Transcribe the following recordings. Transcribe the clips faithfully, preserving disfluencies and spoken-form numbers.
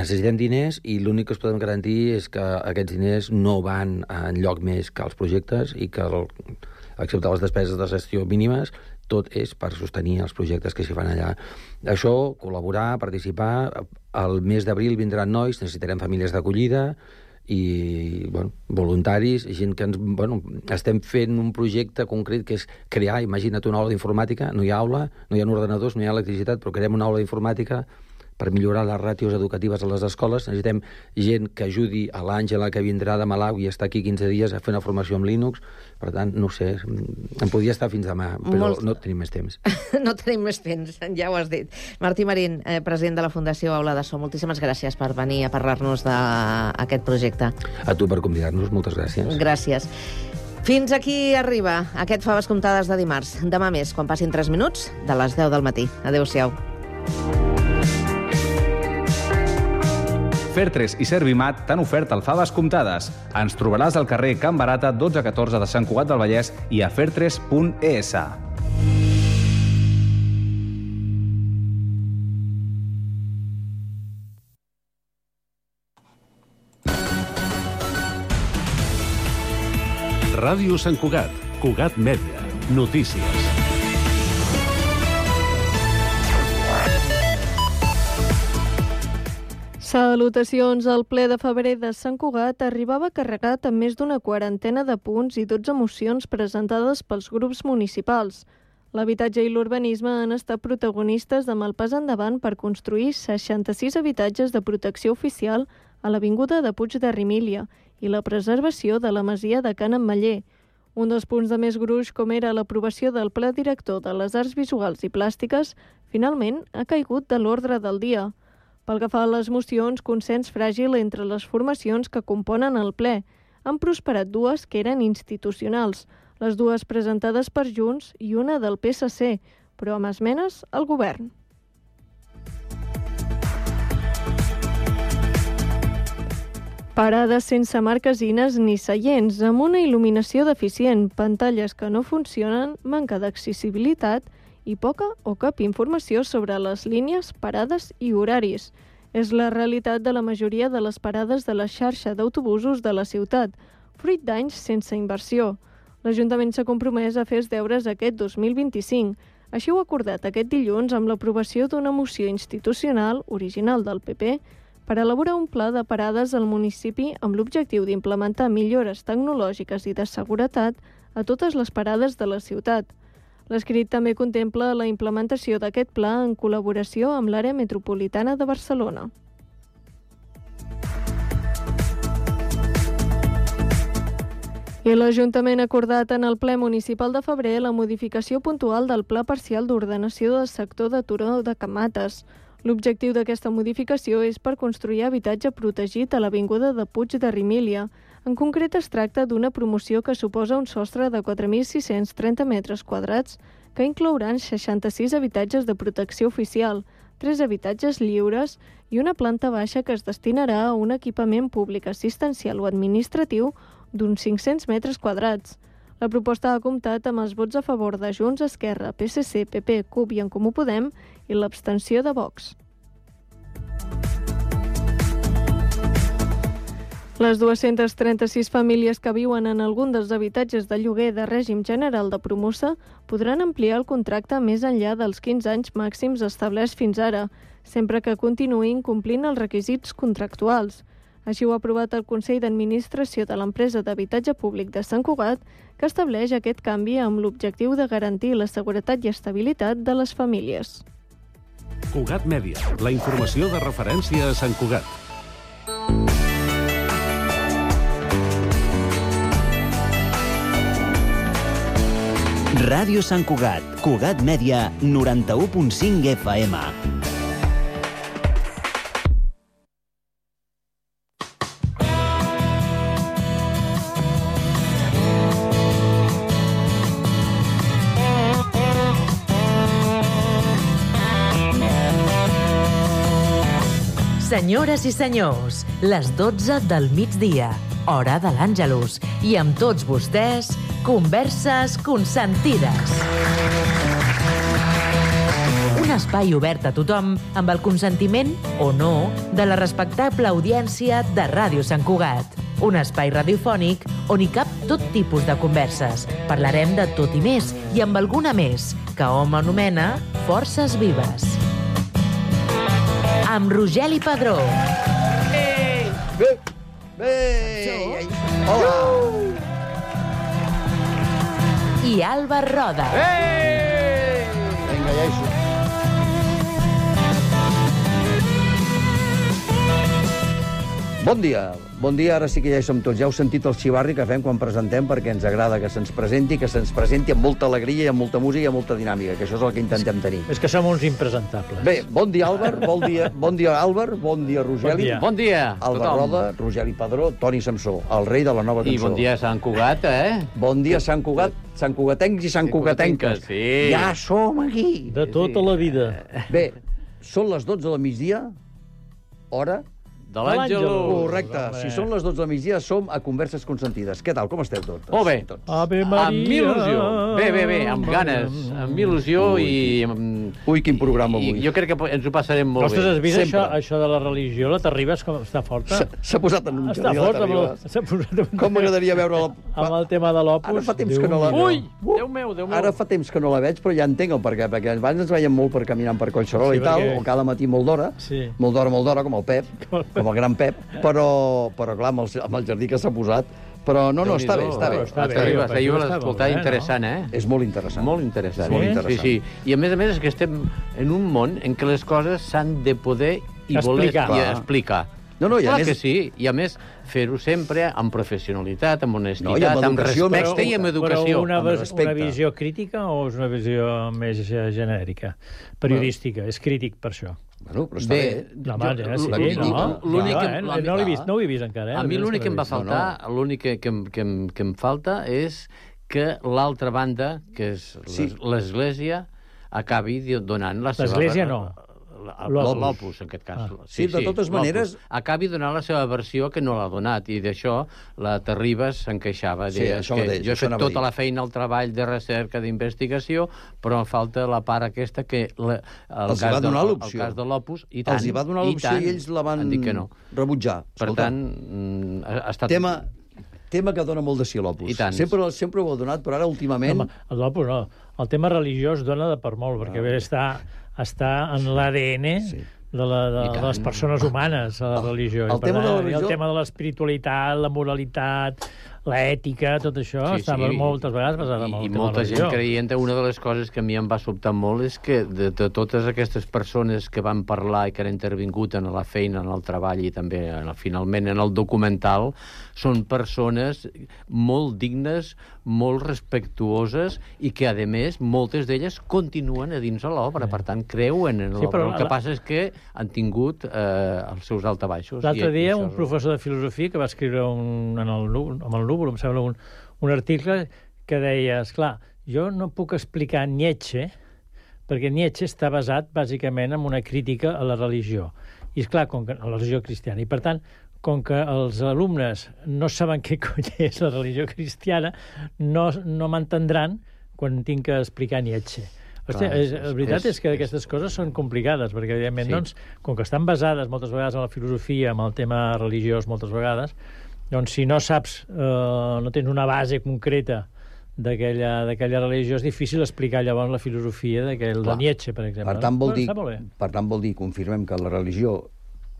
necessitem diners i l'únic que us podem garantir és que aquests diners no van enlloc més que els projectes i que, el, excepte les despeses de gestió mínimes, tot és per sostenir els projectes que s'hi fan allà. Això, col·laborar, participar. El mes d'abril vindran nois, necessitarem famílies d'acollida i bueno, voluntaris, gent que ens, bueno, estem fent un projecte concret que és crear, imagina't una aula d'informàtica, no hi ha aula, no hi ha ordenadors, no hi ha electricitat, però creem una aula d'informàtica per millorar les ràtios educatives a les escoles. Necessitem gent que ajudi a l'Àngela, que vindrà de Malawi i està aquí quinze dies a fer una formació amb Linux. Per tant, no sé, em podria estar fins demà, però Molt... no tenim més temps. No tenim més temps, ja ho has dit. Martí Marín, eh, president de la Fundació Aula de So, moltíssimes gràcies per venir a parlar-nos d'aquest projecte. A tu per convidar-nos, moltes gràcies. Gràcies. Fins aquí arriba aquest Faves Comptades de dimarts. Demà més, quan passin tres minuts, de les deu del matí. Adéu-siau. Fertres i Servimat t'han ofert el Faves Comptades. Ens trobaràs al carrer Can Barata dotze catorze de Sant Cugat del Vallès i a fertres punt es. Ràdio Sant Cugat, Cugat Mèdia, notícies. Salutacions. El ple de febrer de Sant Cugat arribava carregat amb més d'una quarantena de punts i dotze mocions presentades pels grups municipals. L'habitatge i l'urbanisme han estat protagonistes amb el pas endavant per construir seixanta-sis habitatges de protecció oficial a l'avinguda de Puig de Rimília i la preservació de la masia de Can Ametller. Un dels punts de més gruix, com era l'aprovació del Pla Director de les Arts Visuals i Plàstiques, finalment ha caigut de l'ordre del dia. Pel que fa a les mocions, consens fràgil entre les formacions que componen el ple. Han prosperat dues que eren institucionals, les dues presentades per Junts i una del P S C, però amb esmenes al govern. Parades sense marquesines ni seients, amb una il·luminació deficient, pantalles que no funcionen, manca d'accessibilitat i poca o cap informació sobre les línies, parades i horaris. És la realitat de la majoria de les parades de la xarxa d'autobusos de la ciutat, fruit d'anys sense inversió. L'Ajuntament s'ha compromès a fer els deures aquest dos mil vint-i-cinc. Així ho ha acordat aquest dilluns amb l'aprovació d'una moció institucional, original del P P, per elaborar un pla de parades al municipi amb l'objectiu d'implementar millores tecnològiques i de seguretat a totes les parades de la ciutat. L'escrit també contempla la implementació d'aquest pla en col·laboració amb l'àrea metropolitana de Barcelona. I l'Ajuntament ha acordat en el ple municipal de febrer la modificació puntual del Pla Parcial d'Ordenació del sector de Turó de Camates. L'objectiu d'aquesta modificació és per construir habitatge protegit a l'avinguda de Puig de Rimília. En concret, es tracta d'una promoció que suposa un sostre de quatre mil sis-cents trenta metres quadrats que inclouran seixanta-sis habitatges de protecció oficial, tres habitatges lliures i una planta baixa que es destinarà a un equipament públic assistencial o administratiu d'uns cinc-cents metres quadrats. La proposta ha comptat amb els vots a favor de Junts, Esquerra, P S C, P P, C U P i En Comú Podem i l'abstenció de Vox. Les dues-centes trenta-sis famílies que viuen en algun dels habitatges de lloguer de règim general de Promusa podran ampliar el contracte més enllà dels quinze anys màxims establerts fins ara, sempre que continuïn complint els requisits contractuals. Així ho ha aprovat el Consell d'Administració de l'Empresa d'Habitatge Públic de Sant Cugat, que estableix aquest canvi amb l'objectiu de garantir la seguretat i estabilitat de les famílies. Cugat Mèdia, la informació de referència a Sant Cugat. Ràdio Sant Cugat, Cugat Mèdia, noranta-u punt cinc F M. Senyores i senyors, les dotze del migdia, hora de l'Àngelus, i amb tots vostès, Converses Consentides. Una espai obert a tothom amb el consentiment, o no, de la respectable audiència de Ràdio Sant Cugat. Un espai radiofònic on hi cap tot tipus de converses. Parlarem de tot i més, i amb alguna més, que hom anomena Forces Vives. Amb Rogeli Padró. Bé, bé, hola. I Àlvar Roda. Vinga, ja hi som. Bon dia, bon dia, ara sí que ja hi som tots. Ja heu sentit el xivarri que fem quan presentem, perquè ens agrada que se'ns presenti, que se'ns presenti amb molta alegria i amb molta música i amb molta dinàmica, que això és el que intentem tenir. És que som uns impresentables. Bé, bon dia, Àlvar, bon dia, bon dia, Àlvar, bon dia, Rogeli. Bon dia. Bon dia, Àlvar Roda, Rogeli Padró, Toni Samsó, el rei de la nova cançó. I bon dia, Sant Cugat, eh? Bon dia, Sant Cugat, Sant Cugatencs i Sant Cugatenques. Sí. Ja som aquí. De tota la vida. Bé, són les dotze del migdia, hora... De l'Àngelus. Correcte. Si són les dotze del migdia, som a Converses Consentides. Què tal? Com esteu tots? Molt bé. Tots. Ave Maria. Amb il·lusió. Bé, bé, bé, amb ganes, amb il·lusió Ui, i... Amb... Ui, quin programa avui. I jo crec que ens ho passarem molt Ostres, has bé. vist Sempre. això, això de la religió? La Terribas com està forta? S'ha- S'ha posat en un Està jardí de forta, amb Terribas. el, s'ha posat amb, Com m'agradaria veure-la... amb el tema de l'Opus. Ara fa temps que no la... Ui, Déu meu, Déu meu. Ara fa temps que no la veig, però ja entenc el perquè, perquè abans ens veiem molt per caminant per Collserola Sí, i tal, perquè- o cada matí molt d'hora, Sí. molt d'hora, molt d'hora, com el Pep, Com el Pep. com el gran Pep, però, però clar, amb el, amb el jardí que s'ha posat, però no, no, està bé, està bé. Està bé. Està bé, Està bé, jo està l'escoltar molt bé, interessant, eh? És molt interessant. Molt interessant. Molt Sí, interessant. Sí, sí. I a més a més és que estem en un món en què les coses s'han de poder i voler Explicar. i Clar. explicar. No, no, i a Clar més- que sí, i a més fer-ho sempre amb professionalitat, amb honestitat, No, i amb amb educació, respecte però- i amb educació. Però una, amb ves- respecte. una visió crítica o és una visió més eh, genèrica? Periodística, és crític per això. Bueno, però està bé. No, home, ja, sí, la no, crítica, l'únic no, que- eh? la- no, l'he vist, no ho he vist encara. Eh? A mi l'únic que em va No, no. faltar, l'únic que, que, em- que, em- que em falta és que l'altra banda, que és Sí. l'es- l'Església, acabi di- donant la seva... L'Església no. L'Opus, l'Opus, en aquest cas. Ah. Sí, de totes l'Opus. maneres- Acabi donant la seva versió que no l'ha donat, i d'això la Terribas se'n queixava. Sí, Deia, això que mateix, jo he això fet anava a tota dir. la feina, el treball de recerca, d'investigació, però em falta la part aquesta que... La, el Els hi cas va donar de, l'opció. El cas de l'Opus, i tant. Els hi va donar l'opció tant, i ells la van han dit que no. rebutjar. Per Escolta, tant, mm, ha, ha estat... tema, tema que dona molt de si l'Opus. I tant. Sempre, sempre ho ha donat, però ara últimament... Home, el l'Opus no. El tema religiós dona de per molt, perquè bé, està, està en l'A D N Sí. de, la, de, I de tant. les persones humanes, a la El- religió. el I per tema de la tant, religió- El tema de l'espiritualitat, la moralitat, l'ètica, tot això, Sí, està sí. moltes vegades basat en I, el i tema molta de la gent religió. creient, una de les coses que a mi em va sobtar molt és que de, de totes aquestes persones que van parlar i que han intervingut en la feina, en el treball i també en el, finalment en el documental, són persones molt dignes, molt respectuoses i que, a més, moltes d'elles continuen a dins de l'obra, per tant, creuen en Sí, l'obra. però El que la- passa és que han tingut eh, els seus altabaixos. L'altre i- i dia, això un és- professor de filosofia que va escriure un, en el, Nú- amb el núvol, em sembla, un, un article que deia, esclar, jo no puc explicar Nietzsche, perquè Nietzsche està basat, bàsicament, en una crítica a la religió. I, esclar, com que, a la religió cristiana. I, per tant, com que els alumnes no saben què cony és la religió cristiana, no, no m'entendran quan tinc que explicar Nietzsche. Hòstia, Clar, és, és- la veritat és, és- que aquestes coses són complicades, perquè, evidentment, Sí. doncs, com que estan basades moltes vegades en la filosofia, en el tema religiós moltes vegades, doncs si no saps, eh, no tens una base concreta d'aquella d'aquella religió, és difícil explicar llavors la filosofia d'aquell de Clar. Nietzsche, per exemple. Per tant, vol Bueno, dir, està molt bé. per tant, vol dir, confirmem que la religió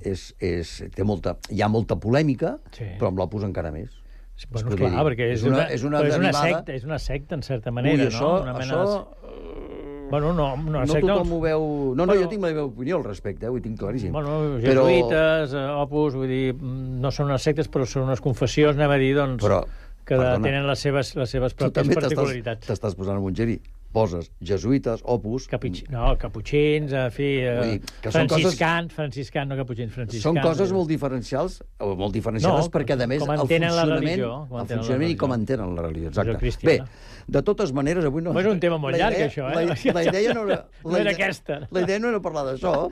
és, és, té molta, hi ha molta polèmica, Sí. però amb l'Opus encara més. Sí, Es bueno, podria clar, dir. perquè és, És una- una, és una però és una derivada- secta, és una secta, en certa manera, Ui, això, no? Una mena això... de... Bueno, no, una No secta... tothom ho veu... No, no, Bueno, jo tinc la meva opinió al respecte, eh? Ho tinc claríssim. Bueno, Però- jesuïtes, eh, opus, vull dir, mm, no són unes sectes, però són unes confessions, anem a dir, doncs, Però, que perdona, tenen les seves, les seves tu pròpies també t'estàs particularitats. t'estàs posant en un geri. Poses jesuïtes, Opus... Caputxins, no, caputxins, en fi, eh, Vull dir que són franciscans, franciscans, no caputxins, franciscans. Són coses molt diferencials, o molt diferenciades, No, perquè, a més, com el entenen la funcionament, religió, com el entenen la funcionament i com religió. entenen la religió, Religió exacte. Bé, cristiana. de totes maneres, avui no... Bueno, és un tema molt la llarg, idea- això, eh? La, la idea no era... No la era idea- aquesta. La idea no era parlar d'això,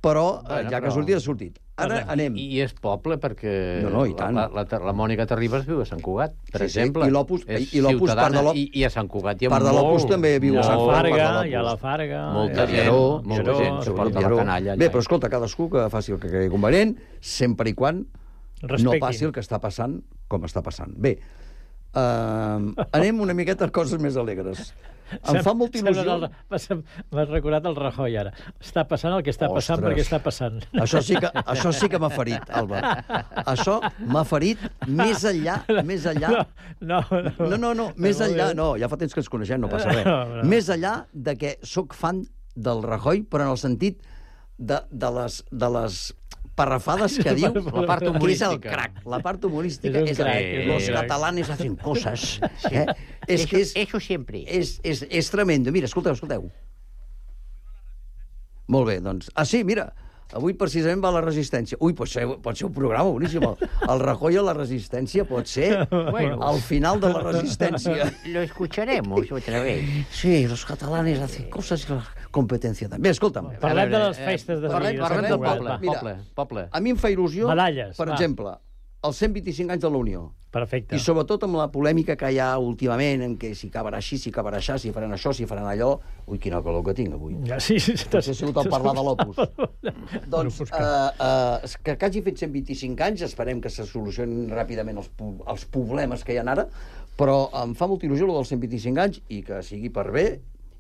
però Bueno, ja que però- ha sortit, ha sortit. Ara anem. I, I és poble, perquè No, no, i tant. la, la, la, la Mònica Terribas viu a Sant Cugat, per Sí, sí, exemple. i l'Opus- És i l'Opus, part de ciutadana, l'O- i, I a Sant Cugat hi ha part de l'Opus molt, també viu a Hi ha Sant la Cugat, Farga, part de hi ha la l'Opus. Farga... Molta hi ha- gent, Lleró, molta Lleró, gent sí, suporta Lleró. la canalla. Bé, allà. però escolta, cadascú que faci el que cregui convenient, sempre i quan no Respectin. passi el que està passant com està passant. Bé, uh, anem una miqueta a coses més alegres. Em fa molta il·lusió... Sembla el- M'has recordat el Rajoy, ara. Està passant el que està passant Ostres. perquè està passant. Això sí que, això sí que m'ha ferit, Alba. Això m'ha ferit més enllà, més enllà... No, no, no. No, no, no, més enllà... No, ja fa temps que ens coneixem, no passa res. No, no. Més enllà de que sóc fan del Rajoy, però en el sentit de, de, les, de les parrafades que diu, La part que és el humorística. crac. La part humorística És un és, crac, el, és un los crac. catalanes hacen cosas. Eh? És que és, Eso siempre. és, és, és tremendo. Mira, escolteu, escolteu. Molt bé, doncs... Ah, sí, mira, avui precisament va la resistència. Ui, pot ser, pot ser un programa boníssim. El, el Rajoy a la resistència pot ser Bueno. al final de la resistència. Lo escucharemos otra vez. Sí, los catalanes hacen cosas y la competencia també. Escolta'm, Parlem de les festes de parlem- Sant parlem Cugat. del Poble, Mira. poble, poble. a mi em fa il·lusió, Medalles, per va. exemple, els cent vint-i-cinc anys de la Unió. Perfecte. I sobretot amb la polèmica que hi ha últimament, en què si acabarà així, si acabarà així, si faran això, si faran allò... Ui, quina calor que tinc avui. Ja, sí, sí, sí. Potser ha sigut el parlar de l'Opus. Doncs, L'Opus, eh, eh, que, que hagi fet cent vint-i-cinc anys, esperem que se solucionin ràpidament els, pu- els problemes que hi ha ara, però em fa molta il·lusió el dels cent vint-i-cinc anys i que sigui per bé,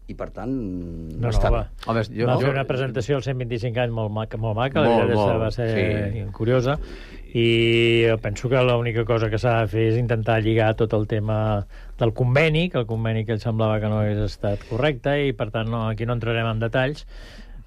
i per tant No, no, està va. bé. Home, jo- Va jo- fer una presentació als cent vint-i-cinc anys molt maca, molt maca, la Molt, veritat és que molt, va ser sí. curiosa, i penso que l'única cosa que s'ha de fer és intentar lligar tot el tema del conveni, que el conveni que ell semblava que no hagués estat correcte, i per tant no, aquí no entrarem en detalls,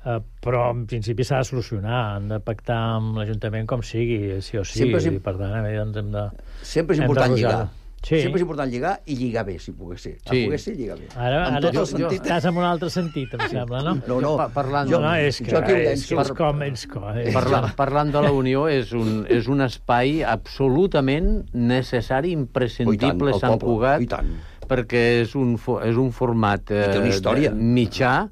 eh, però en principi s'ha de solucionar, han de pactar amb l'Ajuntament com sigui, sí o sí, Sempre és i imp- per tant eh, doncs hem de... Sempre és hem important de lligar. posar-ho. Sí. Sempre és important lligar i lligar bé, si pogués ser. A Sí. pogués ser, lligar bé. Ara, En ara tot el jo, sentit. estàs en un altre sentit, em sembla, no? No, no, Pa- parlant- jo, no, és que, jo aquí ho és, que llenço. és com... És com és Parla, com- parlant de la Unió, és un, és un espai absolutament necessari, imprescindible, Oh, i tant, el Sant poble, Cugat, i tant. perquè és un, fo- és un format eh, té una història. de- mitjà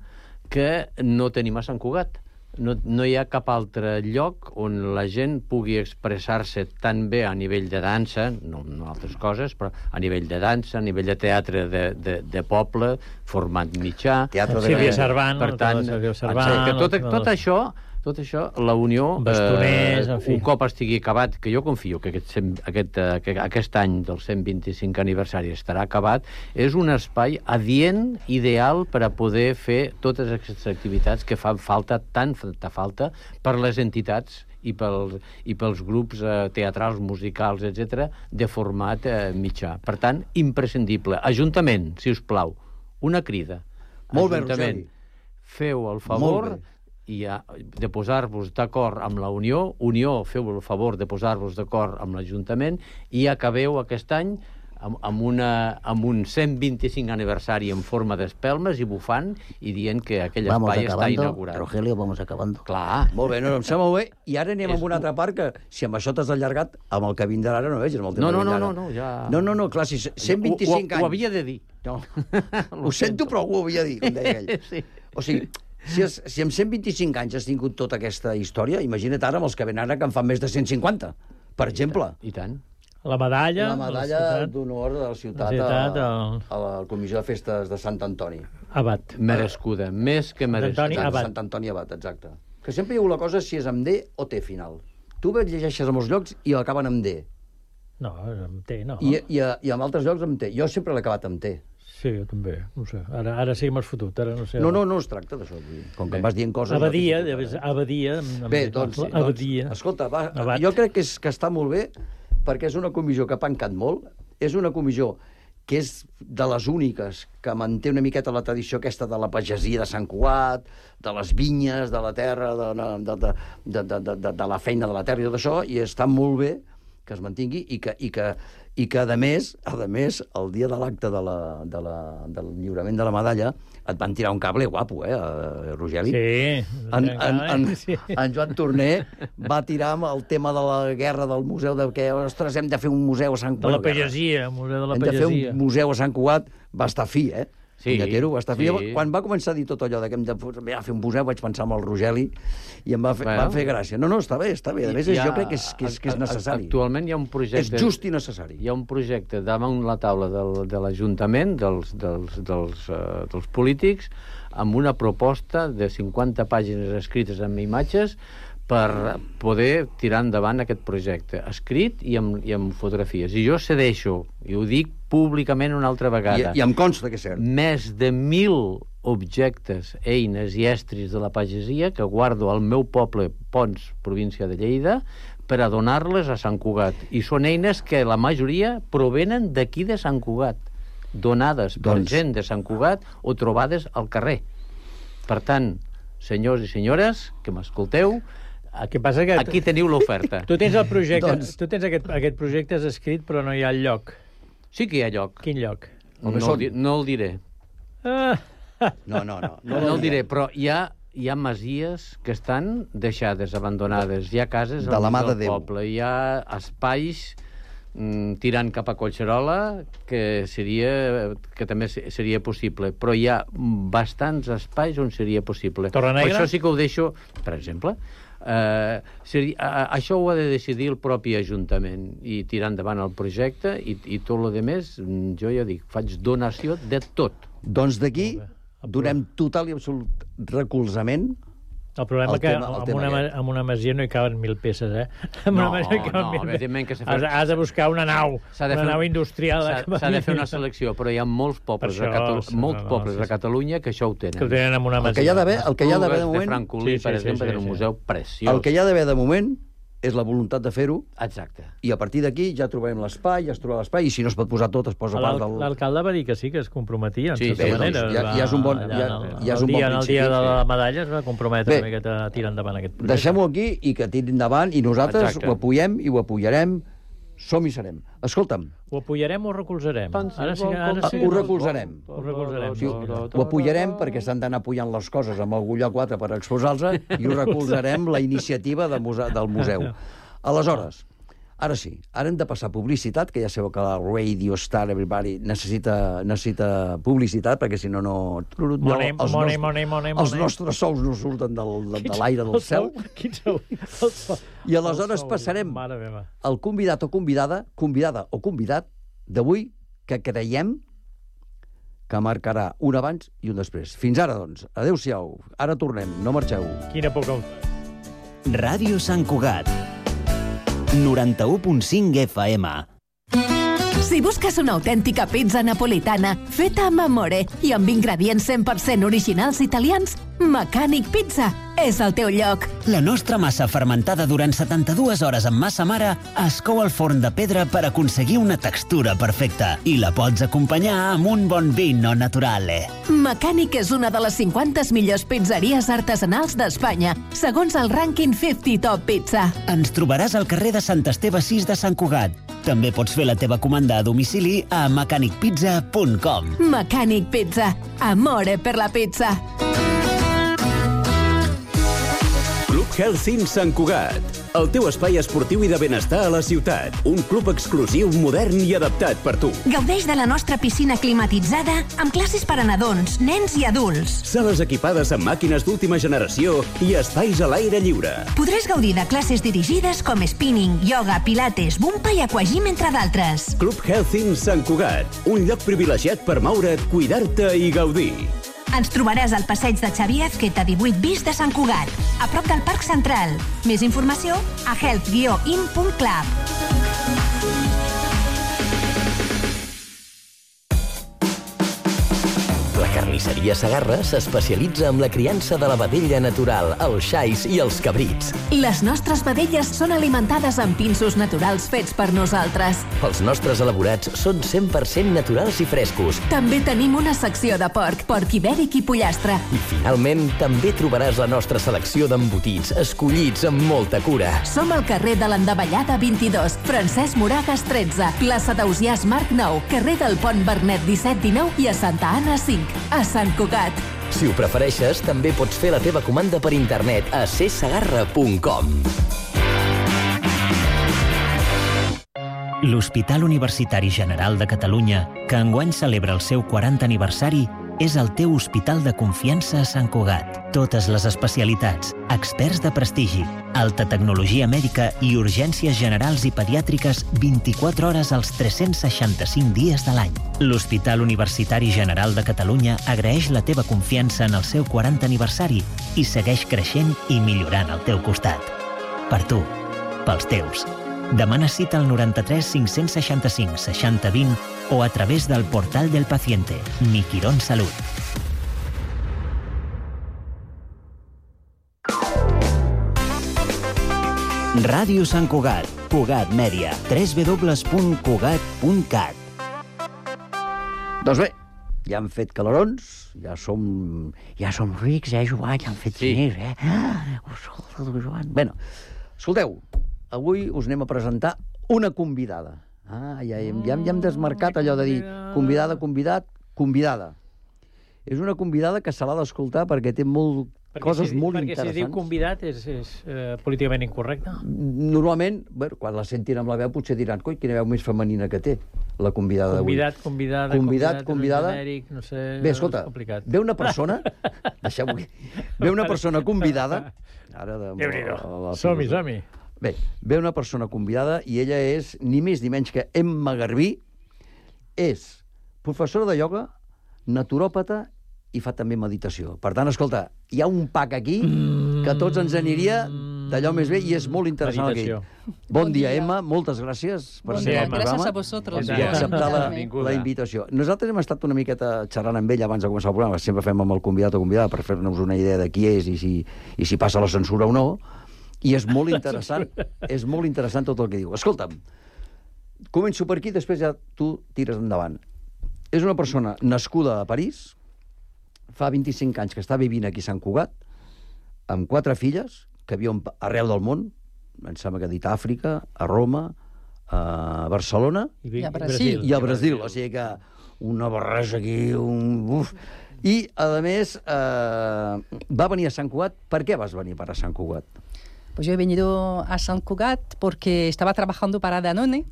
que no tenim a Sant Cugat. No, no hi ha cap altre lloc on la gent pugui expressar-se tan bé a nivell de dansa, no, no altres coses, però a nivell de dansa, a nivell de teatre de, de, de poble, format mitjà. Teatre de Sílvia Granada. Servant, Per tant, Sílvia Servant, exacte, tot, no, tot això, tot això, la Unió, Bastoners, en fi. un cop estigui acabat, que jo confio que aquest, cent- aquest, eh, que aquest any del cent vint-i-cinc aniversari estarà acabat, és un espai adient, ideal, per a poder fer totes aquestes activitats que fan falta, tant fa falta, per les entitats i pels, i pels grups eh, teatrals, musicals, etcètera, de format eh, mitjà. Per tant, imprescindible. Ajuntament, si us plau, una crida. Molt bé, Ajuntament, Roseli. feu el favor Molt bé. i a, de posar-vos d'acord amb la Unió, Unió, feu el favor de posar-vos d'acord amb l'Ajuntament i acabeu aquest any amb, amb, una, amb un cent vint-i-cinc aniversari en forma d'espelmes i bufant i dient que aquell Vamos espai està acabando, inaugurat. Rogelio, vamos acabando. Clar. Molt bé, no, no, em sembla molt bé. I ara anem amb una altra part que, si amb això t'has allargat, amb el que vindrà ara no veig, amb el tema No, no, que no, vindrà no, ara. no, ja... No, no, no, clar, si cent vint-i-cinc ho, ho, anys... ho havia de dir. No. Ho sento, però ho havia de dir, com deia ell. Sí. O sigui, si, es, si amb cent vint-i-cinc anys has tingut tota aquesta història, imagina't ara amb els que venen ara que en fan més de cent cinquanta, per exemple. I tant. La medalla... La medalla d'honor de la ciutat, La ciutat, a, el- a la Comissió de Festes de Sant Antoni. Abat. Merescuda, més que merescuda. Antoni Exacte, Abat. Sant Antoni Abat, exacte. Que sempre hi ha la cosa si és amb D o T final. Tu bé llegeixes a molts llocs i acaben amb D. No, amb T, no. I, i, a, I amb altres llocs amb T. Jo sempre l'he acabat amb T. Sí, jo també, no sé. Ara, ara sí que m'has fotut, ara no sé. No, no, no es tracta d'això. vull dir, Com que Bé. em vas dient coses... Abadia, no t'ho deies, puc dir. abadia. amb- Bé, amb- doncs, doncs abadia. escolta, va, Abat. jo crec que, és, que està molt bé perquè és una comissió que ha pencat molt, és una comissió que és de les úniques que manté una miqueta la tradició aquesta de la pagesia de Sant Cugat, de les vinyes, de la terra, de, de, de, de, de, de, de, de la feina de la terra i tot això, i està molt bé que es mantingui i que, i que, i que a més, a més, el dia de l'acte de la, de la, del lliurament de la medalla et van tirar un cable guapo, eh, Rogeli? Sí. En, en, en, sí. en Joan Torner va tirar amb el tema de la guerra del museu, de que, ostres, hem de fer un museu a Sant De la Cugat. pagesia, museu de la Hem de fer pagesia. un museu a Sant Cugat, va estar fi, eh? Sí, punyatero, va estar sí. sí. Quan va començar a dir tot allò de que hem de fer un museu, vaig pensar en el Rogeli i em va fer, bueno. va fer gràcia. No, no, està bé, està bé. A més, ha, jo crec que és, que és, que és necessari. Actualment hi ha un projecte... És just i necessari. Hi ha un projecte damunt la taula del, de l'Ajuntament, dels, dels, dels, uh, dels polítics, amb una proposta de cinquanta pàgines escrites amb imatges per poder tirar endavant aquest projecte, escrit i amb, i amb fotografies. I jo cedeixo, i ho dic públicament una altra vegada. I, i em consta que és cert. Més de mil objectes, eines i estris de la pagesia que guardo al meu poble, Pons, província de Lleida, per a donar-les a Sant Cugat. I són eines que la majoria provenen d'aquí de Sant Cugat, donades per doncs... gent de Sant Cugat o trobades al carrer. Per tant, senyors i senyores, que m'escolteu, que passa que aquí teniu l'oferta. Tu tens el projecte, doncs... tu tens aquest, aquest projecte escrit, però no hi ha el lloc. Sí que hi ha lloc. Quin lloc? No, no, el, no el diré. Ah. No, no, no. No, no el diré, però hi ha, hi ha masies que estan deixades, abandonades. Hi ha cases de la mà de del Déu. poble. Hi ha espais mm, tirant cap a Collserola que seria que també seria possible, però hi ha bastants espais on seria possible. Torrenegra? Per això sí que ho deixo, per exemple, eh, seria, a, això ho ha de decidir el propi Ajuntament i tirar endavant el projecte i, i tot el que més, jo ja dic, faig donació de tot. Doncs d'aquí donem total i absolut recolzament. El problema El és que tema- el amb, tema una, aquest. amb una masia no hi caben mil peces, eh? Amb No, una masia hi caben no, mil evidentment que peces. s'ha fet- Has, has de buscar una nau, S'ha de una fer- nau industrial. S'ha s'ha de fer una selecció, però hi ha molts pobles, Per a, això, Catalu sí, molts no, no, pobles sí, a sí. Catalunya que això ho tenen. Que ho tenen amb una El masia. que hi ha d'haver, el que hi ha d'haver de Esplugues moment, Francolí, Sí, sí, per sí, exemple, sí, era un sí. museu preciós. el que hi ha d'haver de moment és la voluntat de fer-ho, Exacte. i a partir d'aquí ja trobarem l'espai, ja es trobarà l'espai, i si no es pot posar tot, es posa part del... L'alcalde va dir que sí, que es comprometia, en Sí, certa sí, manera. doncs ja- Va- ja és un bon- allà ja- en el- ja és un el bon dia, en el dia principi, de la sí. medalla es va comprometre Bé, una miqueta a tirar endavant aquest projecte. Deixem-ho aquí i que tiri endavant, i nosaltres Exacte. ho apoyem i ho apoyarem. Som i serem. Escolta'm, Ho apoyarem o recolzarem? Tant si Ara sí, vol ara com sí. ho recolzarem. Ho recolzarem. Sí, ho apoyarem perquè s'han d'anar apujant les coses amb algú lloc quatre per exposar-los, i ho recolzarem la iniciativa de muse del museu. Aleshores, ara sí, ara hem de passar publicitat, que ja sabeu que la Radio Star Everybody necessita, necessita publicitat, perquè si no, no... Money, els money, nostres- money, money, Els money. nostres sous no surten del, de, de l'aire del cel. Quin sou? El sou. I aleshores El sou. passarem Mare meva. el convidat o convidada, convidada o convidat d'avui, que creiem que marcarà un abans i un després. Fins ara, doncs. Adéu-siau. Ara tornem. No marxeu. Quina poca em fa. Ràdio Sant Cugat. noranta-u punt cinc F M. Si busques una autèntica pizza napolitana feta amb amore i amb ingredients cent per cent originals italians, Mecànic Pizza és el teu lloc. La nostra massa fermentada durant setanta-dues hores amb massa mare es cou al forn de pedra per aconseguir una textura perfecta i la pots acompanyar amb un bon vino naturale. Mecànic és una de les cinquanta millors pizzeries artesanals d'Espanya, segons el rànquing cinquanta Top Pizza. Ens trobaràs al carrer de Sant Esteve sis de Sant Cugat. També pots fer la teva comanda a domicili a mecànic pizza punt com. Mecànic Pizza. Amore per la pizza. Club Health Sant Cugat, el teu espai esportiu i de benestar a la ciutat. Un club exclusiu, modern i adaptat per tu. Gaudeix de la nostra piscina climatitzada amb classes per a nadons, nens i adults. Sales equipades amb màquines d'última generació i espais a l'aire lliure. Podràs gaudir de classes dirigides com spinning, yoga, pilates, bumpa i aquagym, entre d'altres. Club Health Sant Cugat, un lloc privilegiat per moure't, cuidar-te i gaudir. Ens trobaràs al passeig de Xavier Azqueta divuit bis de Sant Cugat, a prop del Parc Central. Més informació a health guió in punt club. La carnisseria Segarra s'especialitza en la criança de la vedella natural, els xais i els cabrits. Les nostres vedelles són alimentades amb pinsos naturals fets per nosaltres. Els nostres elaborats són cent per cent naturals i frescos. També tenim una secció de porc, porc ibèric i pollastre. I finalment també trobaràs la nostra selecció d'embotits, escollits amb molta cura. Som al carrer de l'Endavellada vint-i-dos, Francesc Moragas tretze, plaça d'Ausiàs Marc nou, carrer del Pont Bernet disset dinou i a Santa Anna cinc, a Sant Cugat. Si ho prefereixes, també pots fer la teva comanda per internet a c segarra punt com. L'Hospital Universitari General de Catalunya, que enguany celebra el seu quaranta aniversari, és el teu hospital de confiança a Sant Cugat. Totes les especialitats, experts de prestigi, alta tecnologia mèdica i urgències generals i pediàtriques vint-i-quatre hores als tres-cents seixanta-cinc dies de l'any. L'Hospital Universitari General de Catalunya agraeix la teva confiança en el seu quaranta aniversari i segueix creixent i millorant al teu costat. Per tu, pels teus. Demana cita al noranta-tres cinc-cents seixanta-cinc seixanta vint o a través del portal del paciente, Mi Quirón Salut. Ràdio Sant Cugat, Cugat Mèdia, w w w punt cugat punt cat. Doncs bé, ja han fet calorons, ja som, ja som rics, eh, Joan? Ja han fet Sí. diners, eh? Ah, escolta, Joan. Bé, escolteu, avui us anem a presentar una convidada. Ah, ja, hem, ja, ja hem desmarcat allò de dir convidada, convidat, convidada. És una convidada que se l'ha d'escoltar perquè té molt, perquè coses si, molt perquè interessants. Perquè si diu convidat és, és eh, políticament incorrecte. Normalment, bueno, quan la sentin amb la veu, potser diran, coi, quina veu més femenina que té, la convidada d'avui. Convidat, convidada, convidat, convidada. genèric, no sé... Bé, escolta, és complicat. ve una persona... Deixeu-ho aquí. Ve una persona convidada... Ara de, Déu-n'hi-do. Som-hi, som-hi. Bé, ve una persona convidada i ella és ni més ni menys que Emma Garbí. És professora de ioga, naturòpata i fa també meditació. Per tant, escolta, hi ha un pack aquí que a tots ens aniria d'allò més bé i és molt interessant aquí. Bon, bon dia, dia, Emma. Moltes gràcies per bon ser dia, al programa. Gràcies a vosaltres. I acceptar la, la invitació. Nosaltres hem estat una miqueta xerrant amb ell abans de començar el programa. Sempre fem amb el convidat o convidada per fer-nos una idea de qui és i si, i si passa la censura o no. I és molt interessant, és molt interessant tot el que diu. Escolta'm, començo per aquí, després ja tu tires endavant. És una persona nascuda a París, fa vint-i-cinc anys que està vivint aquí a Sant Cugat, amb quatre filles, que viuen arreu del món, em sembla que ha dit a Àfrica, a Roma, a Barcelona i a Brasil. I a Brasil, o sigui que una barreja aquí, un... Uf. I, a més, eh, va venir a Sant Cugat. Per què vas venir per a Sant Cugat? Pues yo he venido a Sant Cugat porque estaba trabajando para Danone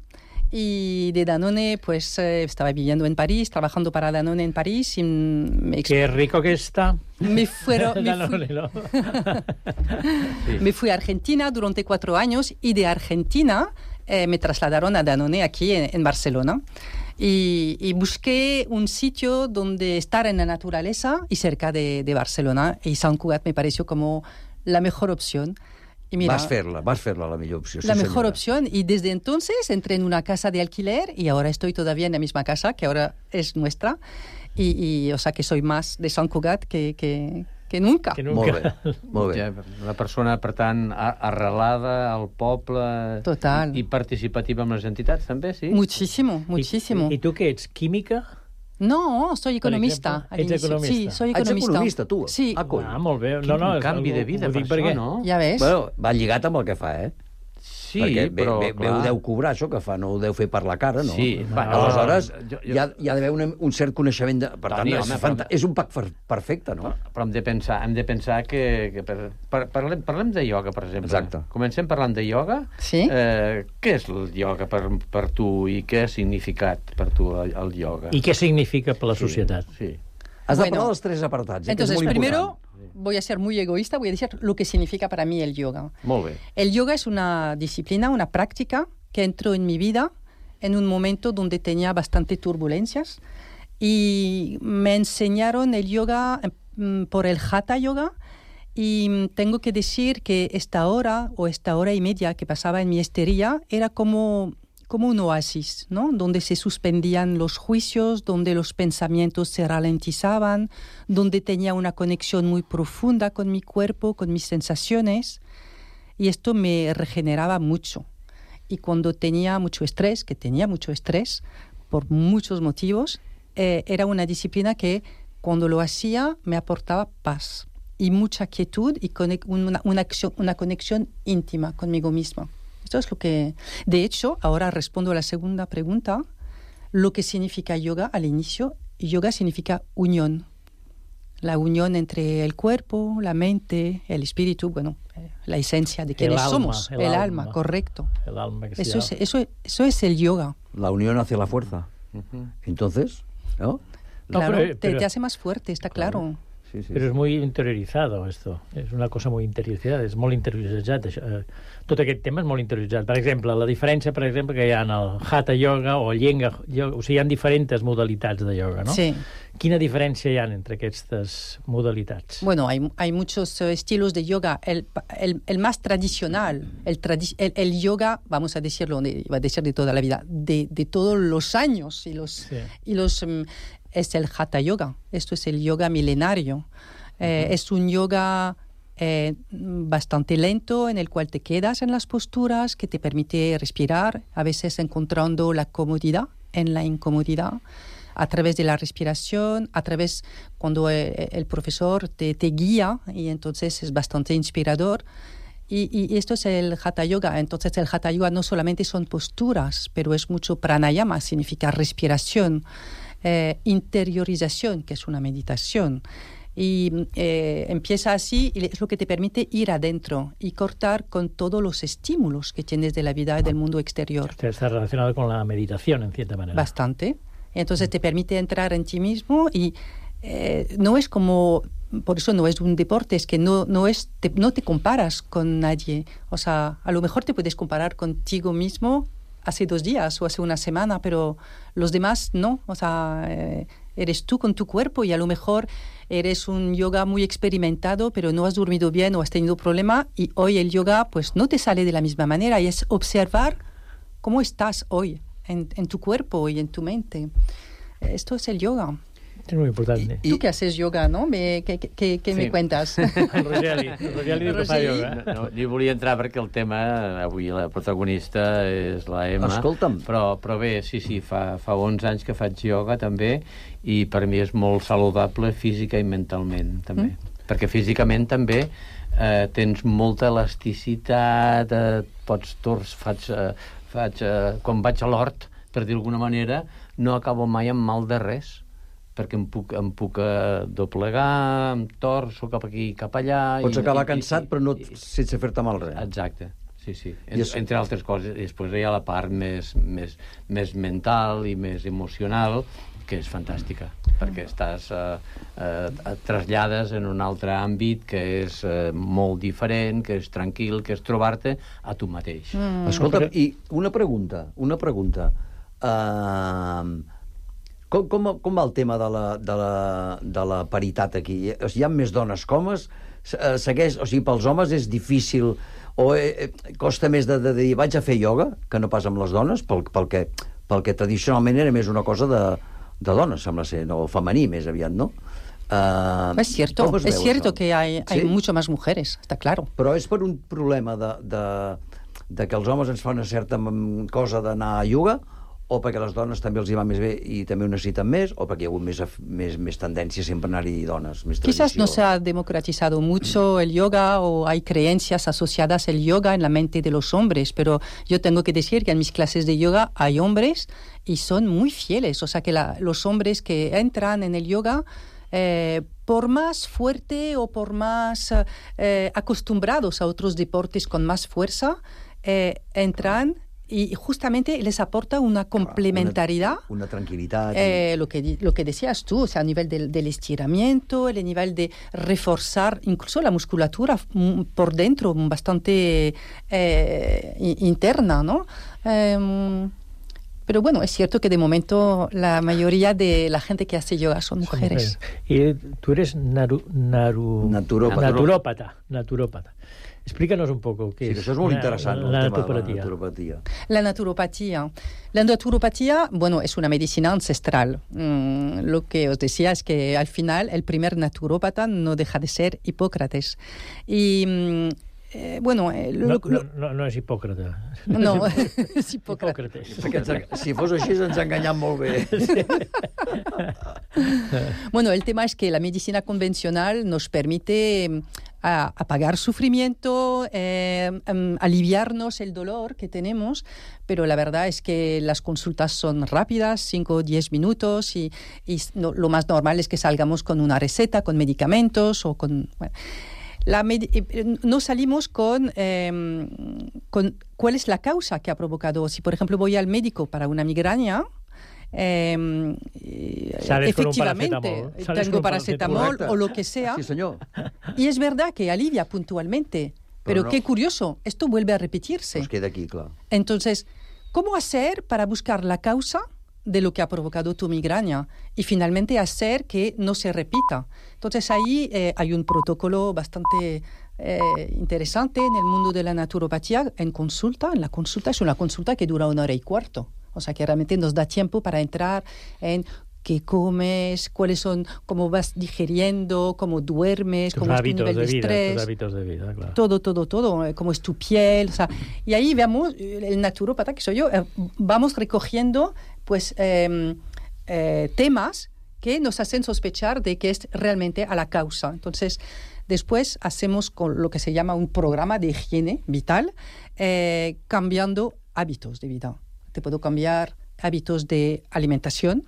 y de Danone pues eh, estaba viviendo en París, trabajando para Danone en París y me... Qué rico que está. Me, fueron, me, Danone, fui... ¿no? sí. me fui a Argentina durante cuatro años y de Argentina eh, me trasladaron a Danone aquí en, en Barcelona. Y, y busqué un sitio donde estar en la naturaleza y cerca de, de Barcelona y Sant Cugat me pareció como la mejor opción. Y mira, vas fer-la, vas fer-la la millor opció. La sí, mejor senyora. opción y desde entonces entré en una casa de alquiler y ahora estoy todavía en la misma casa que ahora es nuestra y, y o sea que soy más de Sant Cugat que, que, que nunca. Que nunca. Molt bé, molt bé. Ja, una persona, per tant, arrelada al poble. Total. I, i participativa amb les entitats, també, sí? Muchísimo, muchísimo. I, i tu què ets, química? No, soy economista. Ejemplo, ¿ets economista? Sí, soy Ets economista. economista, tu? Sí. Ah, coi. Ah, molt bé. Quin No, no, canvi de vida per perquè... això, no? Ja ves? Bueno, va lligat amb el que fa, eh? Sí, perquè però, bé, bé, bé ho deu cobrar, això que fa, no ho deu fer per la cara, no? Sí, no. bueno, Aleshores, jo- jo- hi ha, hi ha d'haver una, un cert coneixement de... Per Toni, tant, home, és, però- fanta... és un pack fer- perfecte, no? Però hem de pensar, hem de pensar que... que per, per, parlem, parlem de ioga, per exemple. Exacte. Comencem parlant de ioga. Sí. Eh, què és el ioga per, per tu i què ha significat per tu el, el ioga? I què significa per la societat? Sí. Has de Bueno, parlar dels tres apartats, eh, Entonces, que és molt primero important. voy a ser muy egoísta, voy a decir lo que significa para mí el yoga. Molt bé. El yoga es una disciplina, una práctica que entró en mi vida en un momento donde tenía bastante turbulencias y me enseñaron el yoga mm, por el Hatha Yoga y mm, tengo que decir que esta hora o esta hora y media que pasaba en mi estería era como, como un oasis, ¿no? Donde se suspendían los juicios, donde los pensamientos se ralentizaban, donde tenía una conexión muy profunda con mi cuerpo, con mis sensaciones y esto me regeneraba mucho. Y cuando tenía mucho estrés, que tenía mucho estrés por muchos motivos, eh, era una disciplina que cuando lo hacía me aportaba paz y mucha quietud y conec- una, una, acción, una conexión íntima conmigo misma. Esto es lo que... De hecho, ahora respondo a la segunda pregunta. Lo que significa yoga al inicio, yoga significa unión. La unión entre el cuerpo, la mente, el espíritu, bueno, eh, la esencia de quienes alma, somos. el El, alma. alma, correcto. El alma que Eso es, eso, eso es el yoga. La unión hace la fuerza. Uh-huh. Entonces, ¿no? Claro, No, pero- te, pero- te hace más fuerte, está claro. Sí, sí, Però és molt interiorizado, esto. És una cosa molt interioritzada, és molt interioritzat. Això. Eh, Tot aquest tema és molt interioritzat. Per exemple, la diferència, per exemple, que hi ha en el Hatha Yoga o el Yenga Yoga, o sigui, hi ha diferents modalitats de yoga, no? Sí. Quina diferència hi ha entre aquestes modalitats? Bueno, hay, hay muchos uh, estilos de yoga. El, el, el más tradicional, el, tradi el, el yoga, vamos a decirlo, de, iba a decir de toda la vida, de, de todos los años y los... Sí. Y los um, es el Hatha Yoga. Esto es el yoga milenario. Eh, uh-huh. Es un yoga eh, bastante lento en el cual te quedas en las posturas, que te permite respirar, a veces encontrando la comodidad en la incomodidad, a través de la respiración, a través cuando eh, el profesor te, te guía, y entonces es bastante inspirador. Y, y esto es el Hatha Yoga. Entonces el Hatha Yoga no solamente son posturas, pero es mucho pranayama, significa respiración. Eh, interiorización, que es una meditación. Y eh, empieza así, y es lo que te permite ir adentro y cortar con todos los estímulos que tienes de la vida y del mundo exterior. Está relacionado con la meditación, en cierta manera. Bastante. Entonces te permite entrar en ti mismo y eh, no es como... Por eso no es un deporte, es que no, no, es, te, no te comparas con nadie. O sea, a lo mejor te puedes comparar contigo mismo hace dos días o hace una semana, pero los demás no. O sea, eh, eres tú con tu cuerpo y a lo mejor eres un yoga muy experimentado, pero no has dormido bien o has tenido problema y hoy el yoga pues no te sale de la misma manera y es observar cómo estás hoy en, en tu cuerpo y en tu mente. Esto es el yoga. És molt important. I, tu que haces yoga, no? Me, què què, què sí. me cuentas? El Rogeli, el Rogeli diu que fa yoga. No, no, jo volia entrar perquè el tema, avui la protagonista és la Emma. Escolta'm. Però, però bé, sí, sí, fa, fa onze anys que faig yoga també i per mi és molt saludable física i mentalment també. Mm. Perquè físicament també eh, tens molta elasticitat, eh, pots tors, faig, eh, faig eh, quan vaig a l'hort, per dir d'alguna manera, no acabo mai amb mal de res, perquè em puc, em puc uh, doblegar, em torço cap aquí, cap allà... Pots i, acabar i, cansat, i, però no i, sense fer-te mal res. Exacte, sí, sí. En, es... Entre altres coses. I després hi ha la part més, més, més mental i més emocional, que és fantàstica, perquè estàs uh, uh, trasllades en un altre àmbit que és uh, molt diferent, que és tranquil, que és trobar-te a tu mateix. Mm. Escolta, però... i una pregunta, una pregunta. Uh, com, com, com va el tema de la, de la, de la paritat aquí? O sigui, hi ha més dones que homes? Segueix, o sigui, pels homes és difícil o eh, costa més de, de dir vaig a fer ioga que no pas amb les dones, pel, pel, que, pel que tradicionalment era més una cosa de, de dones, sembla ser, no, femení més aviat, no? Uh, es cierto, es, es cierto això? que hay, hay ¿Sí? mucho más mujeres, está claro. Però és per un problema de, de, de que els homes ens fan una certa cosa d'anar a ioga, o perquè les dones també els hi va més bé i també ho necessiten més, o perquè hi ha hagut més, més, més tendència sempre a anar-hi dones, més tradició. Quizás no se ha democratizado mucho el yoga o hay creencias asociadas al yoga en la mente de los hombres, pero yo tengo que decir que en mis clases de yoga hay hombres y son muy fieles, o sea que la, los hombres que entran en el yoga Eh, por más fuerte o por más eh, acostumbrados a otros deportes con más fuerza, eh, entran y justamente les aporta una complementariedad. Una, una tranquilidad. Eh, lo, que, lo que decías tú, o sea, a nivel del, del estiramiento, el nivel de reforzar incluso la musculatura por dentro, bastante eh, interna, ¿no? Eh, Pero bueno, es cierto que de momento la mayoría de la gente que hace yoga son mujeres. Y tú eres naru, naru, naturópata. naturópata. Naturópata. Explícanos un poco qué sí, es. Eso es muy la, interesante. La, la, el naturopatía. la naturopatía. La naturopatía. La naturopatía, bueno, es una medicina ancestral. Mm, lo que os decía es que al final el primer naturópata no deja de ser Hipócrates. Y... Mm, Eh, bueno, eh, lo, no, lo... no, no és Hipòcrata. No, és Hipòcrates. Hipòcrates. Si fos així ens ha enganyat molt bé. Sí. Bueno, el tema es que la medicina convencional nos permite a, apagar sufrimiento, eh, um, aliviarnos el dolor que tenemos, pero la verdad es que las consultas son rápidas, cinco o diez minutos, y, y no, lo más normal es que salgamos con una receta, con medicamentos o con... Bueno, La no salimos con, eh, con cuál es la causa que ha provocado. Si, por ejemplo, voy al médico para una migraña, eh, efectivamente tengo paracetamol o lo que sea. Sí, señor. Y es verdad que alivia puntualmente, pero, pero no. Qué curioso, esto vuelve a repetirse. Pues queda aquí, claro. Entonces, ¿cómo hacer para buscar la causa de lo que ha provocado tu migraña y finalmente hacer que no se repita? Entonces ahí eh, hay un protocolo bastante eh, interesante en el mundo de la naturopatía en consulta. En la consulta es una consulta que dura una hora y cuarto. O sea que realmente nos da tiempo para entrar en qué comes, cuáles son, cómo vas digiriendo, cómo duermes, tus cómo es tu nivel de, de estrés. Tus hábitos de vida, claro. Todo, todo, todo, cómo es tu piel. O sea, y ahí veamos, el naturópata que soy yo, eh, vamos recogiendo pues eh, eh, temas que nos hacen sospechar de que es realmente a la causa. Entonces, después hacemos con lo que se llama un programa de higiene vital, eh, cambiando hábitos de vida. Te puedo cambiar hábitos de alimentación,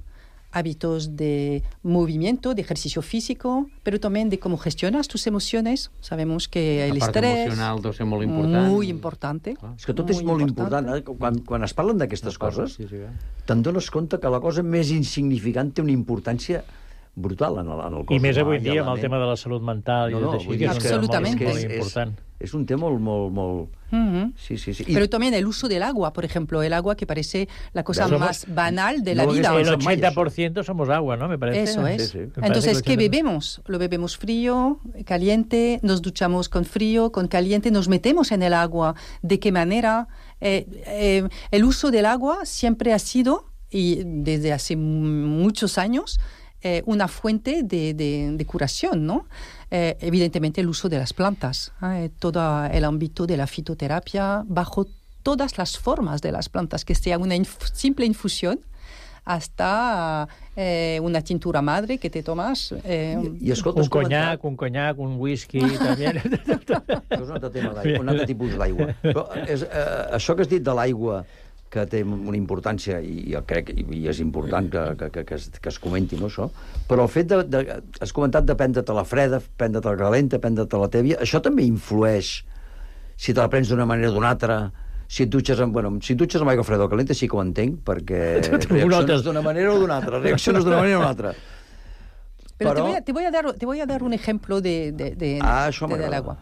hábitos de movimiento, de ejercicio físico, pero también de cómo gestionas tus emociones. Sabemos que el la part estrès... emocional deu ser molt important. Muy importante. Ah, és que tot és molt important. Eh? Quan, quan es parlen d'aquestes coses, sí, sí, eh? te'n dones compte que la cosa més insignificant té una importància brutal en el, en el cos I més humà, avui dia amb el ment. tema de la salut mental. No, no, i així, que és absolutament. molt, molt és, important. És, és un tema molt, molt, molt... Uh-huh. Sí, sí, sí. I... Pero también el uso del agua, por ejemplo, el agua que parece la cosa Somos... más banal de no la vida. El ochenta por ciento somos agua, ¿no? Me parece. Eso es. Sí, sí. Entonces, ¿qué bebemos? Lo bebemos frío, caliente, nos duchamos con frío, con caliente, nos metemos en el agua. ¿De qué manera? Eh, eh, el uso del agua siempre ha sido, y desde hace muchos años, eh, una fuente de, de, de curación, ¿no? Eh, evidentemente el uso de las plantas, eh, todo el ámbito de la fitoterapia, bajo todas las formas de las plantas, que sea una inf- simple infusión hasta eh, una tintura madre que te tomas. Eh, I, i escolta, un conyac, un conyac, un whisky, també. És un altre tema d'aigua, un altre tipus d'aigua. Però és, eh, això que has dit de l'aigua, que té una importància, i jo crec i és important que, que, que, que, es, que es comenti, no, això, però el fet de, de has comentat de prendre-te la freda, prendre-te la calenta, prendre-te la tèbia, això també influeix si te la prens d'una manera o d'una altra, si et dutxes amb, bueno, si et dutxes amb aigua freda o calenta sí que ho entenc, perquè reacciones d'una manera o d'una altra, reacciones d'una manera o d'una altra. Pero, pero... Te, voy a, te, voy a dar, te voy a dar un ejemplo de, de, de, ah, de, del agua.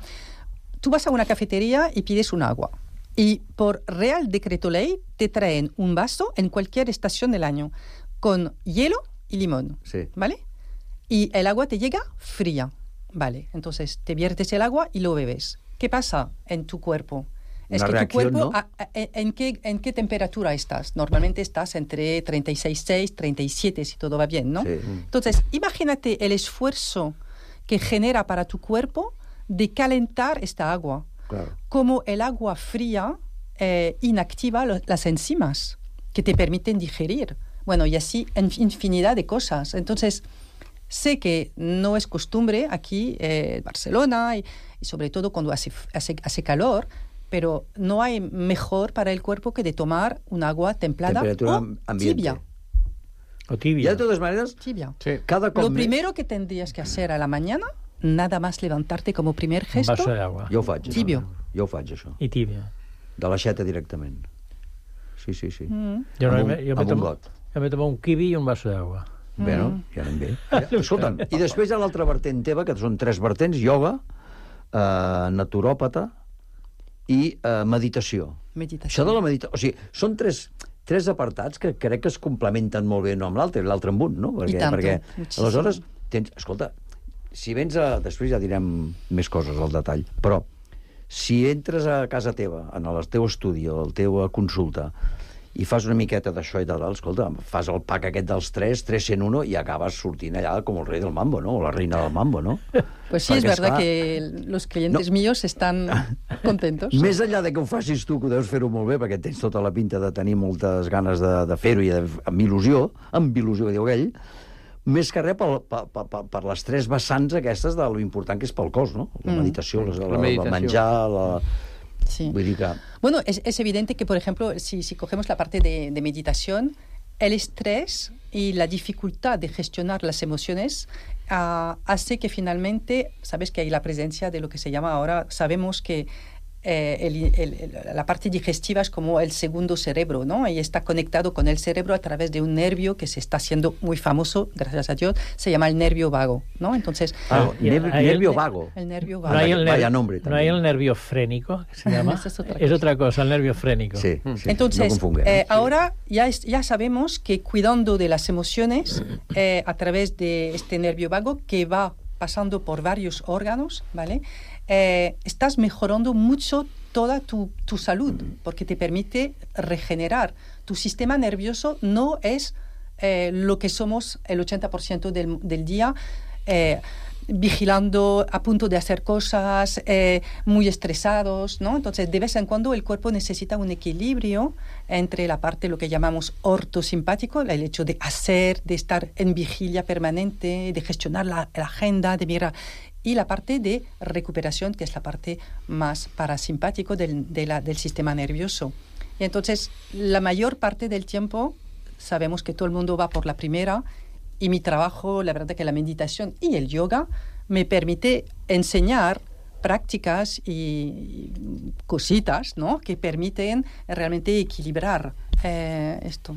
Tú vas a una cafetería y pides un agua. Y por Real Decreto Ley te traen un vaso en cualquier estación del año con hielo y limón, sí. ¿Vale? Y el agua te llega fría, ¿vale? Entonces te viertes el agua y lo bebes. ¿Qué pasa en tu cuerpo? Es Una que reacción, tu cuerpo, ¿no? a, a, ¿en, qué, ¿en qué temperatura estás? Normalmente estás entre treinta y seis punto seis, treinta y siete, si todo va bien, ¿no? Sí. Entonces, imagínate el esfuerzo que genera para tu cuerpo de calentar esta agua. Claro. Como el agua fría eh, inactiva lo, las enzimas que te permiten digerir. Bueno, y así en infinidad de cosas. Entonces, sé que no es costumbre aquí en eh, Barcelona y, y sobre todo cuando hace, hace, hace calor, pero no hay mejor para el cuerpo que de tomar un agua templada Temperatura o ambiente. tibia. O tibia. Y de todas maneras, tibia. Sí. Cada cop Lo més... primero que tendrías que hacer a la mañana, nada más levantarte como primer gesto, un vaso de agua. Jo ho faig. Tibio. No? Jo ho faig, això. I tibia. De l'aixeta directament. Sí, sí, sí. Mm. Jo, no, amb un, jo, amb me un tomo, got. jo me tomo un kiwi i un vaso d'aigua. Bé, no? Ja anem bé. Ja. Escolta'm, i després hi ha l'altra vertent teva, que són tres vertents, ioga, eh, naturòpata i eh, meditació. Meditació. Això de la meditació... O sigui, són tres, tres apartats que crec que es complementen molt bé no amb l'altre, l'altre amb un, no? Perquè, I tanto, perquè muchísimo. aleshores, tens, escolta, si vens a... Després ja direm més coses al detall, però si entres a casa teva, en el teu estudi o la teva consulta, i fas una miqueta d'això i de dalt, escolta, fas el pack aquest dels tres, tres cent un, i acabes sortint allà com el rei del mambo, ¿no? O la reina del mambo, ¿no? Pues sí, Perquè, es verdad esclar, que los clientes no. míos están contentos. Més enllà de que ho facis tu, que ho deus fer-ho molt bé, perquè tens tota la pinta de tenir moltes ganes de, de fer-ho i de, amb il·lusió, amb il·lusió, que diu aquell, més que res per, per, per, per les tres vessants aquestes de lo important que és pel cos, no? La meditació, mm. la, la, la, la menjar, la... Sí. Vull dir que... Bueno, es, es evidente que, por ejemplo, si, si cogemos la parte de, de meditación, el estrés y la dificultad de gestionar las emociones uh, hace que finalmente, sabes que hay la presencia de lo que se llama ahora, sabemos que eh, el, el, la parte digestiva es como el segundo cerebro, ¿no? Y está conectado con el cerebro a través de un nervio que se está haciendo muy famoso, gracias a Dios, se llama el nervio vago, ¿no? Entonces... Ah, nervio, el, nervio vago. El nervio vago. No hay el, ner Vaya nombre no hay el nervio frénico, que se llama. es, otra es otra cosa, el nervio frénico. Sí, sí. Entonces, no eh, sí. ahora ya, es, ya sabemos que cuidando de las emociones eh, a través de este nervio vago que va pasando por varios órganos, ¿vale? Eh, estás mejorando mucho toda tu, tu salud, porque te permite regenerar. Tu sistema nervioso no es eh, lo que somos el ochenta por ciento del, del día, eh, vigilando, a punto de hacer cosas, eh, muy estresados, ¿no? Entonces, de vez en cuando el cuerpo necesita un equilibrio entre la parte, lo que llamamos ortosimpático, el hecho de hacer, de estar en vigilia permanente, de gestionar la, la agenda, de mirar, y la parte de recuperación, que es la parte más parasimpático del, de la, del sistema nervioso. Y entonces, la mayor parte del tiempo, sabemos que todo el mundo va por la primera, y mi trabajo, la verdad que la meditación y el yoga me permite enseñar prácticas y cositas, ¿no?, que permiten realmente equilibrar eh, esto.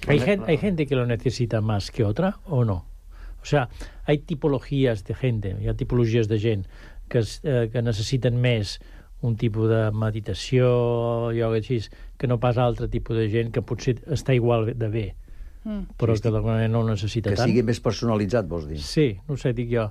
¿Hay gente, ¿Hay gente que lo necesita más que otra o no? O sea, hay tipologías de gente, hi ha tipologies de gent que, es, eh, que necessiten més un tipus de meditació, ioga així, que no pas altre tipus de gent que potser està igual de bé, mm. però que d'alguna manera no ho necessita que tant. Que sigui més personalitzat, vols dir? Sí, no sé, dic jo.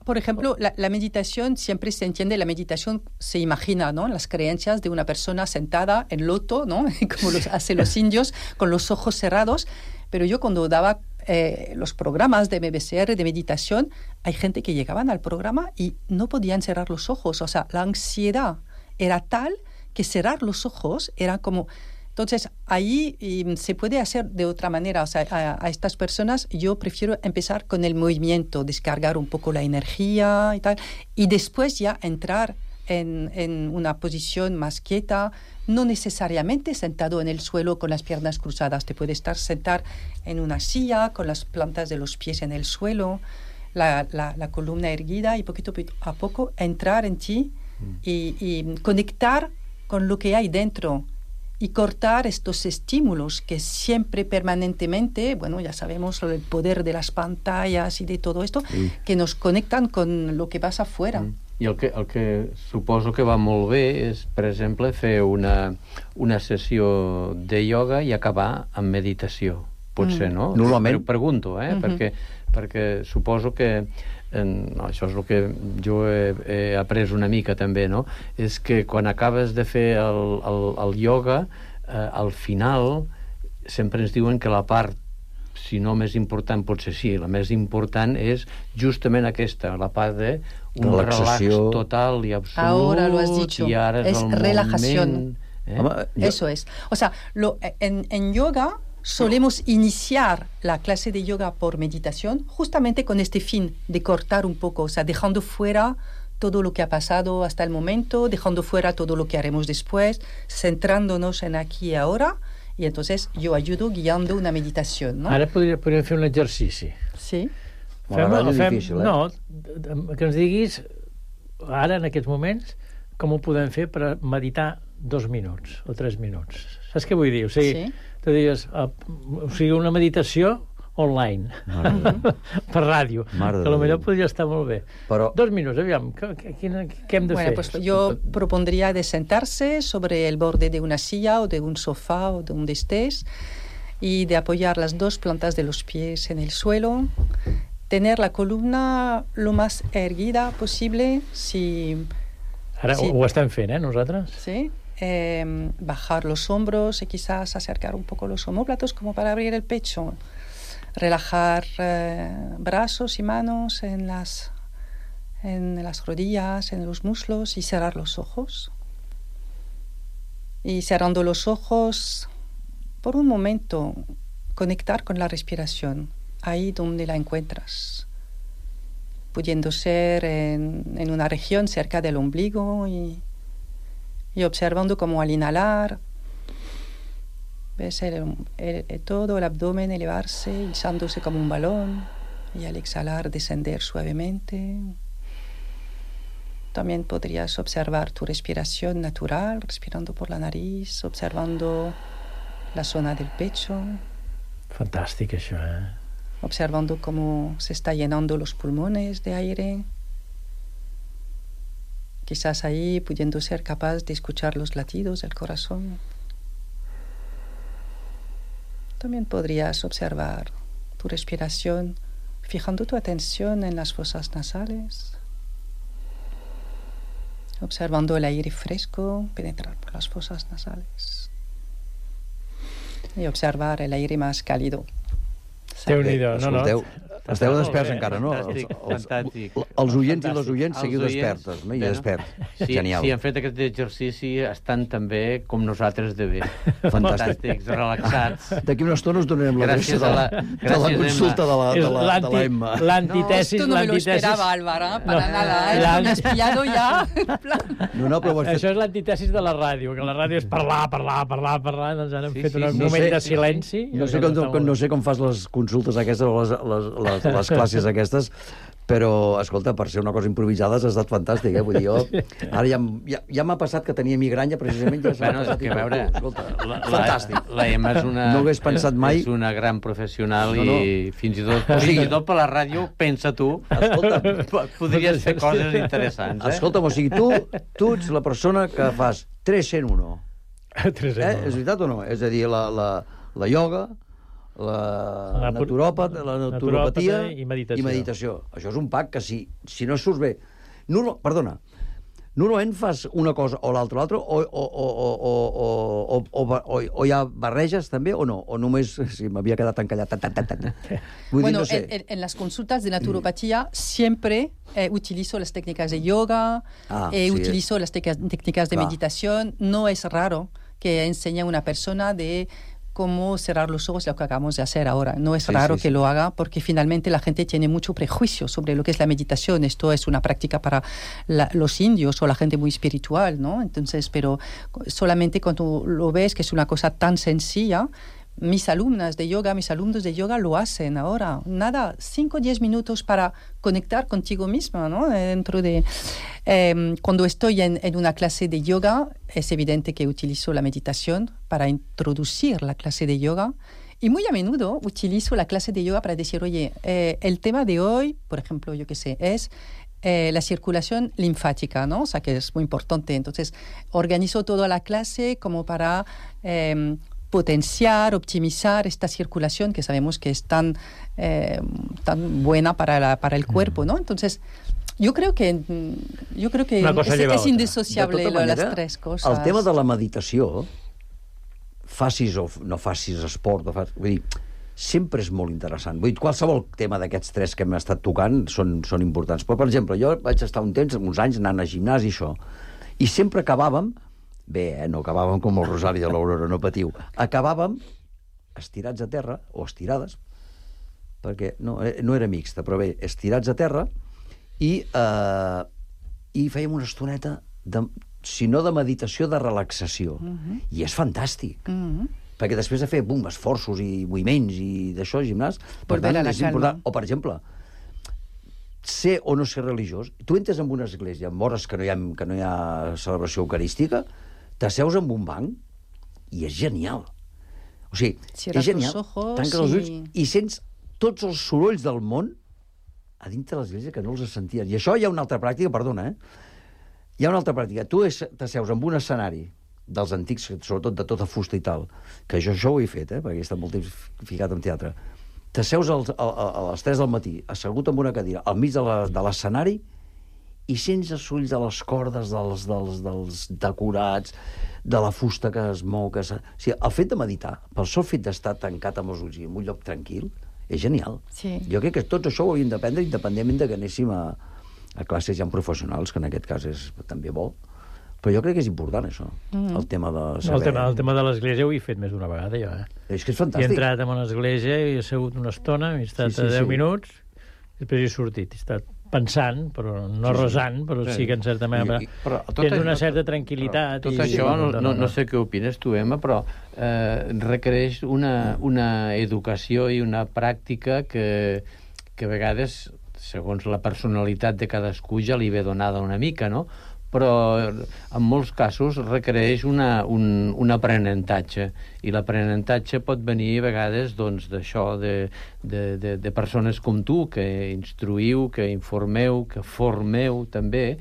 Por ejemplo, la, la meditación, siempre se entiende, la meditación se imagina, ¿no?, las creencias de una persona sentada en loto, ¿no?, como los hacen los indios, con los ojos cerrados. Pero yo cuando daba eh, los programas de M B C R de meditación, hay gente que llegaban al programa y no podían cerrar los ojos. O sea, la ansiedad era tal que cerrar los ojos era como... Entonces, ahí y, se puede hacer de otra manera. O sea, a, a estas personas yo prefiero empezar con el movimiento, descargar un poco la energía y tal, y después ya entrar en, en una posición más quieta, no necesariamente sentado en el suelo con las piernas cruzadas. Te puedes estar sentar en una silla con las plantas de los pies en el suelo, la, la, la columna erguida, y poquito a poco entrar en ti y, y conectar con lo que hay dentro. Y cortar estos estímulos que siempre, permanentemente, bueno, ya sabemos el poder de las pantallas y de todo esto, sí, que nos conectan con lo que pasa afuera. Mm. I el que, el que suposo que va molt bé és, per exemple, fer una, una sessió de ioga i acabar amb meditació. Potser, mm. no? Normalment. Però pregunto, eh? Mm-hmm. perquè, perquè suposo que en, no, això és el que jo he, he après una mica també, no? És que quan acabes de fer el, el, el ioga, eh, al final sempre ens diuen que la part, si no més important, potser sí, la més important és justament aquesta, la part de un relax total i absolut. Ahora lo has dicho, i ara és, es el relajación. Moment, eh? Home, jo... Eso es. O sea, lo, en, en yoga solemos iniciar la clase de yoga por meditación justamente con este fin de cortar un poco, o sea, dejando fuera todo lo que ha pasado hasta el momento, dejando fuera todo lo que haremos después, centrándonos en aquí y ahora, y entonces yo ayudo guiando una meditación, ¿no? Ara podríem, podríem fer un exercici. Sí. Fem, Bueno, és fem, difícil, eh? No, que ens diguis, ara, en aquests moments, com ho podem fer per meditar dos minuts o tres minuts. Saps què vull dir? O sigui, sí. Tu digues, uh, o sigui, una meditació online, per ràdio, Mare que potser podria estar molt bé. Però... Dos minuts, aviam, què, què, què hem de bueno, fer? Pues yo propondría de sentarse sobre el borde de una silla o de un sofá o de donde estés y de apoyar las dos plantas de los pies en el suelo, tener la columna lo más erguida posible. Si, Ara si, ho estem fent, eh, nosaltres? Sí. Eh, bajar los hombros y quizás acercar un poco los omóplatos como para abrir el pecho. Relajar eh, brazos y manos en las, en las rodillas, en los muslos, y cerrar los ojos. Y cerrando los ojos, por un momento, conectar con la respiración, ahí donde la encuentras, pudiendo ser en, en una región cerca del ombligo, y, y observando cómo al inhalar ves el, el, el, todo el abdomen elevarse, hizándose como un balón, y al exhalar descender suavemente. También podrías observar tu respiración natural, respirando por la nariz, observando la zona del pecho. Fantàstic, això, eh? Observando cómo se está llenando los pulmones de aire. Quizás ahí pudiendo ser capaz de escuchar los latidos del corazón. También podrías observar tu respiración, fijando tu atención en las fosas nasales, observando el aire fresco penetrar por las fosas nasales y observar el aire más cálido. Déu-n'hi-do, no, no. Escolteu, esteu desperts bé, encara, no? fantàstic, Els, els, fantàstic. els oients i les oients Els seguiu oients, despertes, no? I bé, no? desperts. Sí, Genial. si han fet aquest exercici estan també com nosaltres de bé. Fantàstic. Fantàstics, relaxats. D'aquí una estona us donarem l'adreça de, la, de la consulta de la, de la, de la Emma. L'antitesis... No, esto no me lo esperaba, Álvaro, para nada. ¿eh? Me has pillado ya. No, no, però ho has fet... Això és l'antitesis de la ràdio, que la ràdio és parlar, parlar, parlar, parlar, doncs ara hem Sí, fet sí, un sí, moment sí, de sí, silenci. sí. No sé, com, com, no sé com fas les consultes aquestes o les, les, les, les classes aquestes, però, escolta, per ser una cosa improvisada has estat fantàstic, eh? Vull dir, jo... Ara ja, ja, ja m'ha passat que tenia migranya, precisament, ja s'ha Bueno, és passat. que, i a veure, escolta, la, fantàstic. La, la Emma és una, No hagués pensat mai... és una gran professional No, no. i fins i tot, fins i tot per la ràdio, pensa tu, Escolta, podries fer coses interessants, eh? Escolta'm, o sigui, tu, tu ets la persona que fas tres en uno. tres en Eh? uno. És veritat o no? És a dir, la, la, la ioga, la, La naturopat, la naturopatia naturòpata i meditació. i meditació. Això és un pack que si, si no surts bé... No, no, perdona, normalment fas una cosa o l'altra, l'altra, o, o, o, o, o, o, o, o, o hi ha barreges també o no? O només... Si m'havia quedat encallat... Ta, ta, ta, ta. Vull Bueno, dir, no sé. en, en, en las consultas de naturopatía siempre eh, utilizo las técnicas de yoga, Ah, eh, sí, utilizo las tec- técnicas de Clar. meditación. No es raro que enseñe a una persona de cómo cerrar los ojos, lo que acabamos de hacer ahora. No es Sí, raro sí, que sí. lo haga porque finalmente la gente tiene mucho prejuicio sobre lo que es la meditación. Esto es una práctica para la- los indios o la gente muy espiritual, ¿no? Entonces, pero solamente cuando lo ves que es una cosa tan sencilla, mis alumnas de yoga, mis alumnos de yoga lo hacen ahora. Nada, cinco o diez minutos para conectar contigo misma, ¿no? Dentro de... Eh, cuando estoy en, en una clase de yoga, es evidente que utilizo la meditación para introducir la clase de yoga. Y muy a menudo utilizo la clase de yoga para decir, oye, eh, el tema de hoy, por ejemplo, yo qué sé, es... Eh, la circulación linfática, ¿no? O sea, que es muy importante. Entonces, organizo toda la clase como para... Eh, potenciar, optimizar esta circulación que sabemos que es tan, eh, tan buena para, la, para el cuerpo, ¿no? Entonces, yo creo que, yo creo que es, es indisociable De tota lo, manera, las tres cosas. El tema de la meditació, facis o no facis esport, o facis, vull dir, sempre és molt interessant. Vull dir, qualsevol tema d'aquests tres que hem estat tocant són, són importants. Però, per exemple, jo vaig estar un temps, uns anys, anant a gimnàs i això, i sempre acabàvem, bé, eh, no acabàvem com el Rosari de l'Aurora, no patiu, acabàvem estirats a terra, o estirades, perquè no, eh, no era mixta, però bé, estirats a terra, i, eh, i fèiem una estoneta, de, si no de meditació, de relaxació. Mhm. I és fantàstic. Mhm. Perquè després de fer, bum, esforços i moviments i d'això, gimnàs, per Volver tant, a la és calma. important. O, per exemple, ser o no ser religiós. Tu entres en una església, en hores que no hi ha, que no hi ha celebració eucarística, t'asseus en un banc i és genial. O sigui, Cierras és genial. los ojos Tanques els ulls i- i sents tots els sorolls del món a dintre de l'església que no els senties. I això hi ha una altra pràctica, perdona, eh? Hi ha una altra pràctica. Tu és- t'asseus en un escenari dels antics, sobretot de tota fusta i tal, que jo això ho he fet, eh? Perquè he estat molt temps ficat en teatre. T'asseus als- a, a, a les tres del matí, assegut en una cadira, al mig de la- de l'escenari, i sents els ulls de les cordes, dels, dels, dels decorats, de la fusta que es mou. Que es... O sigui, el fet de meditar, pel sol fet d'estar tancat amb els ulls i en un lloc tranquil, és genial. Sí. Jo crec que tots això ho hauríem d'aprendre independentment de que anéssim a, a classes ja professionals, que en aquest cas és també bo. Però jo crec que és important, això, Mm. el tema de No, saber... el, tema, el tema de l'església ho he fet més d'una vegada, jo, eh? És que és He fantàstic. entrat en una església i he segut una estona, he estat Sí, sí, sí, sí, deu sí. minuts, després he sortit, he estat pensant, però no Sí, sí. resant, però Sí. sí que en certa manera... I- i- però tot tens això- una certa tranquil·litat. Tot i, això, no, no, no sé què opines tu, Emma, però eh, requereix una, una educació i una pràctica que, que a vegades segons la personalitat de cadascú ja li ve donada una mica, no? Però en molts casos requereix una, un, un aprenentatge, i l'aprenentatge pot venir a vegades doncs, d'això, de, de, de, de persones com tu, que instruïu, que informeu, que formeu també,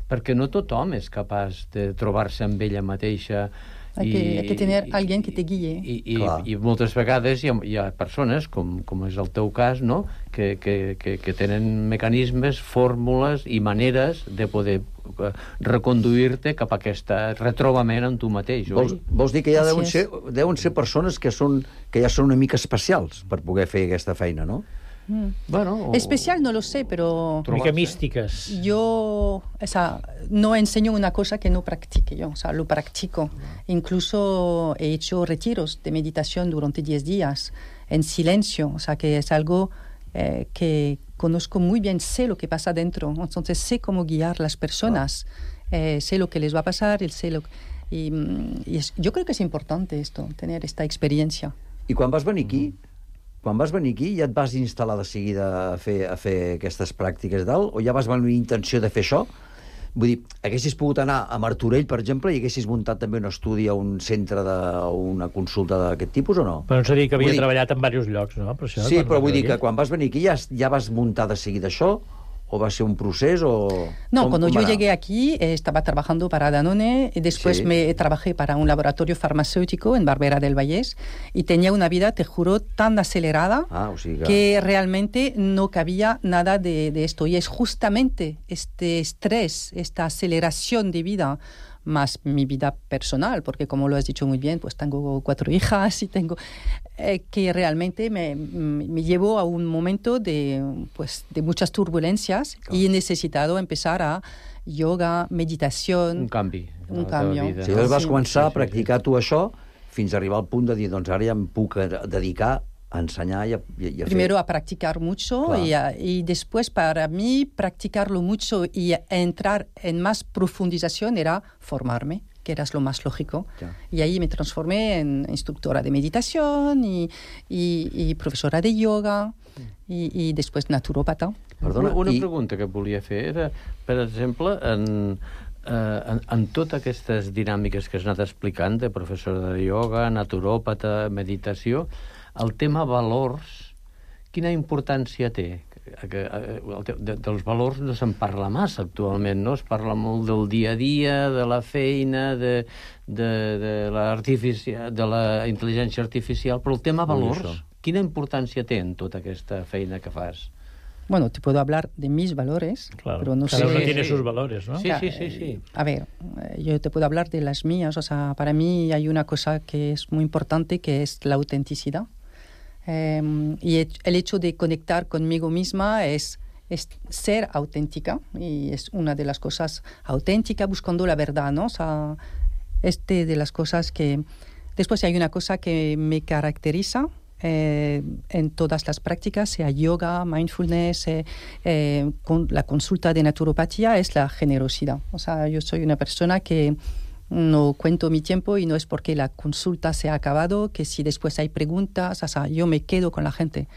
perquè no tothom és capaç de trobar-se amb ella mateixa. Hay que, hay que tener alguien que te guíe. I, i, i moltes vegades hi ha, hi ha persones, com, com és el teu cas, no? que, que, que, que tenen mecanismes, fórmules i maneres de poder reconduir-te cap a aquest retrobament amb tu mateix. Vols, vols dir que ja deuen ser, deuen ser persones que, són, que ja són una mica especials per poder fer aquesta feina, no? Mm. Bueno, especial no lo sé, pero mica místicas. Yo, o sea, no enseño una cosa que no practique yo, o sea, lo practico. Incluso he hecho retiros de meditación durante diez días en silencio, o sea, que es algo eh, que conozco muy bien, sé lo que pasa dentro, entonces sé cómo guiar las personas, eh, sé lo que les va a pasar, el sé lo y, y es, yo creo que es importante esto, tener esta experiencia. I quan vas venir aquí, quan vas venir aquí, ja et vas instal·lar de seguida a fer, a fer aquestes pràctiques i tal, o ja vas venir intenció de fer això? Vull dir, haguessis pogut anar a Martorell, per exemple, i haguessis muntat també un estudi a un centre de, o una consulta d'aquest tipus, o no? Però no s'ha dit que havia dir... treballat en diversos llocs, no? Per això, sí, però vull dir que quan vas venir aquí ja, ja vas muntar de seguida això, o va ser un procés, o... No, cuando yo llegué aquí eh, estaba trabajando para Danone y después sí. me trabajé para un laboratorio farmacéutico en Barbera del Vallès y tenía una vida, te juro, tan acelerada ah, o sigui que... que realmente no cabía nada de, de esto. Y es justamente este estrés, esta aceleración de vida, más mi vida personal, porque como lo has dicho muy bien, pues tengo cuatro hijas y tengo... Eh, que realmente me, me llevó a un momento de, pues, de muchas turbulencias claro. y he necesitado empezar a yoga, meditación... Un canvi. Un canvi. Si sí, vas començar sí, sí, a practicar tu això fins a arribar al punt de dir, doncs ara ja em puc dedicar a ensenyar i a, i a Primero fer... a practicar mucho y, a, y después para mí practicarlo mucho y a entrar en más profundización era formarme, que era lo más lógico. Ya. Y ahí me transformé en instructora de meditación y, y, y profesora de yoga y, y después naturópata. Perdona, una, una i... pregunta que volia fer era, per exemple, en, eh, en, en totes aquestes dinàmiques que has anat explicant, de professora de yoga, naturòpata, meditació, el tema valors, quina importància té? Que, de, dels valors no se'n parla massa actualment, no? Es parla molt del dia a dia, de la feina, de, de, de, la, de la intel·ligència artificial, però el tema valors, quina importància té en tota aquesta feina que fas? Bueno, te puedo hablar de mis valores, claro. pero no Cada sé... uno tiene sus valores, ¿no? Sí, sí, sí, sí. A ver, yo te puedo hablar de las mías, o sea, para mí hay una cosa que es muy importante, que es la autenticidad. Eh, y el hecho de conectar conmigo misma es, es ser auténtica, y es una de las cosas auténticas, buscando la verdad, ¿no? O sea, este de las cosas que... Después hay una cosa que me caracteriza eh, en todas las prácticas, sea yoga, mindfulness, eh, eh, con la consulta de naturopatía, es la generosidad. O sea, yo soy una persona que no cuento mi tiempo y no es porque la consulta se ha acabado, que si después hay preguntas, o sea, yo me quedo con la gente.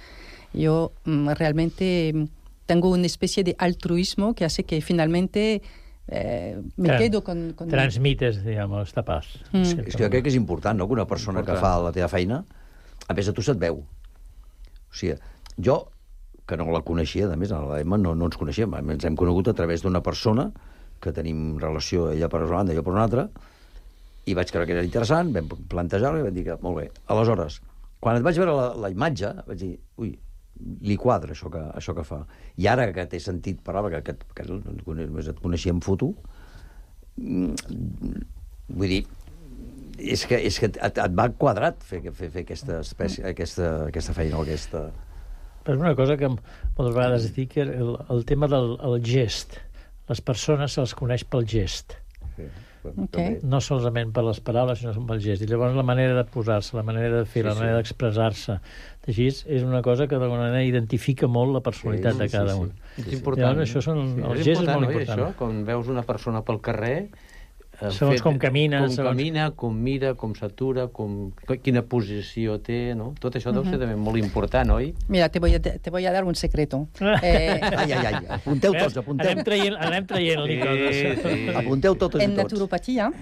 Yo mm, realmente tengo una especie de altruismo que hace que finalmente eh, me Tran quedo con... con... Transmites, digamos, esta paz. Mm. És que jo crec que és important, no?, que una persona important. que fa la teva feina, a més a tu se't veu. O sigui, jo, que no la coneixia, a més, a l'Emma no, no ens coneixíem, ens hem conegut a través d'una persona que tenim relació, ella per una banda, jo per una altra, i vaig creure que era interessant, vam plantejar-ho i vam dir que, molt bé. Aleshores, quan et vaig veure la, la imatge, vaig dir, ui, li quadra això que, això que fa. I ara que t'he sentit parlar, que, que, que només et coneixia en foto, vull dir, és que, és que et, et va quadrat fer, fer, fer aquesta, espècie, aquesta, aquesta feina o aquesta... Però és una cosa que moltes vegades dic, que el, el tema del el gest, les persones se les coneix pel gest. Sí, okay. No solament per les paraules, sinó pel gest. I llavors la manera de posar-se, la manera de fer, sí, la manera sí. d'expressar-se, així és una cosa que d'alguna manera identifica molt la personalitat sí, sí, de cada un. Sí, sí. És important. Llavors, això són, sí, el és gest important, és molt oi, important. Això, quan veus una persona pel carrer, Segons com camina, Com segons... camina, com mira, com s'atura, com... quina posició té, no? Tot això deu ser també molt important, oi? Mira, te voy a, te voy a dar un secreto. Eh... Ai, ai, ai, apunteu tots, apunteu. Anem traient, anem traient-li Sí, coses. sí. Apunteu totes En i tots. naturopatía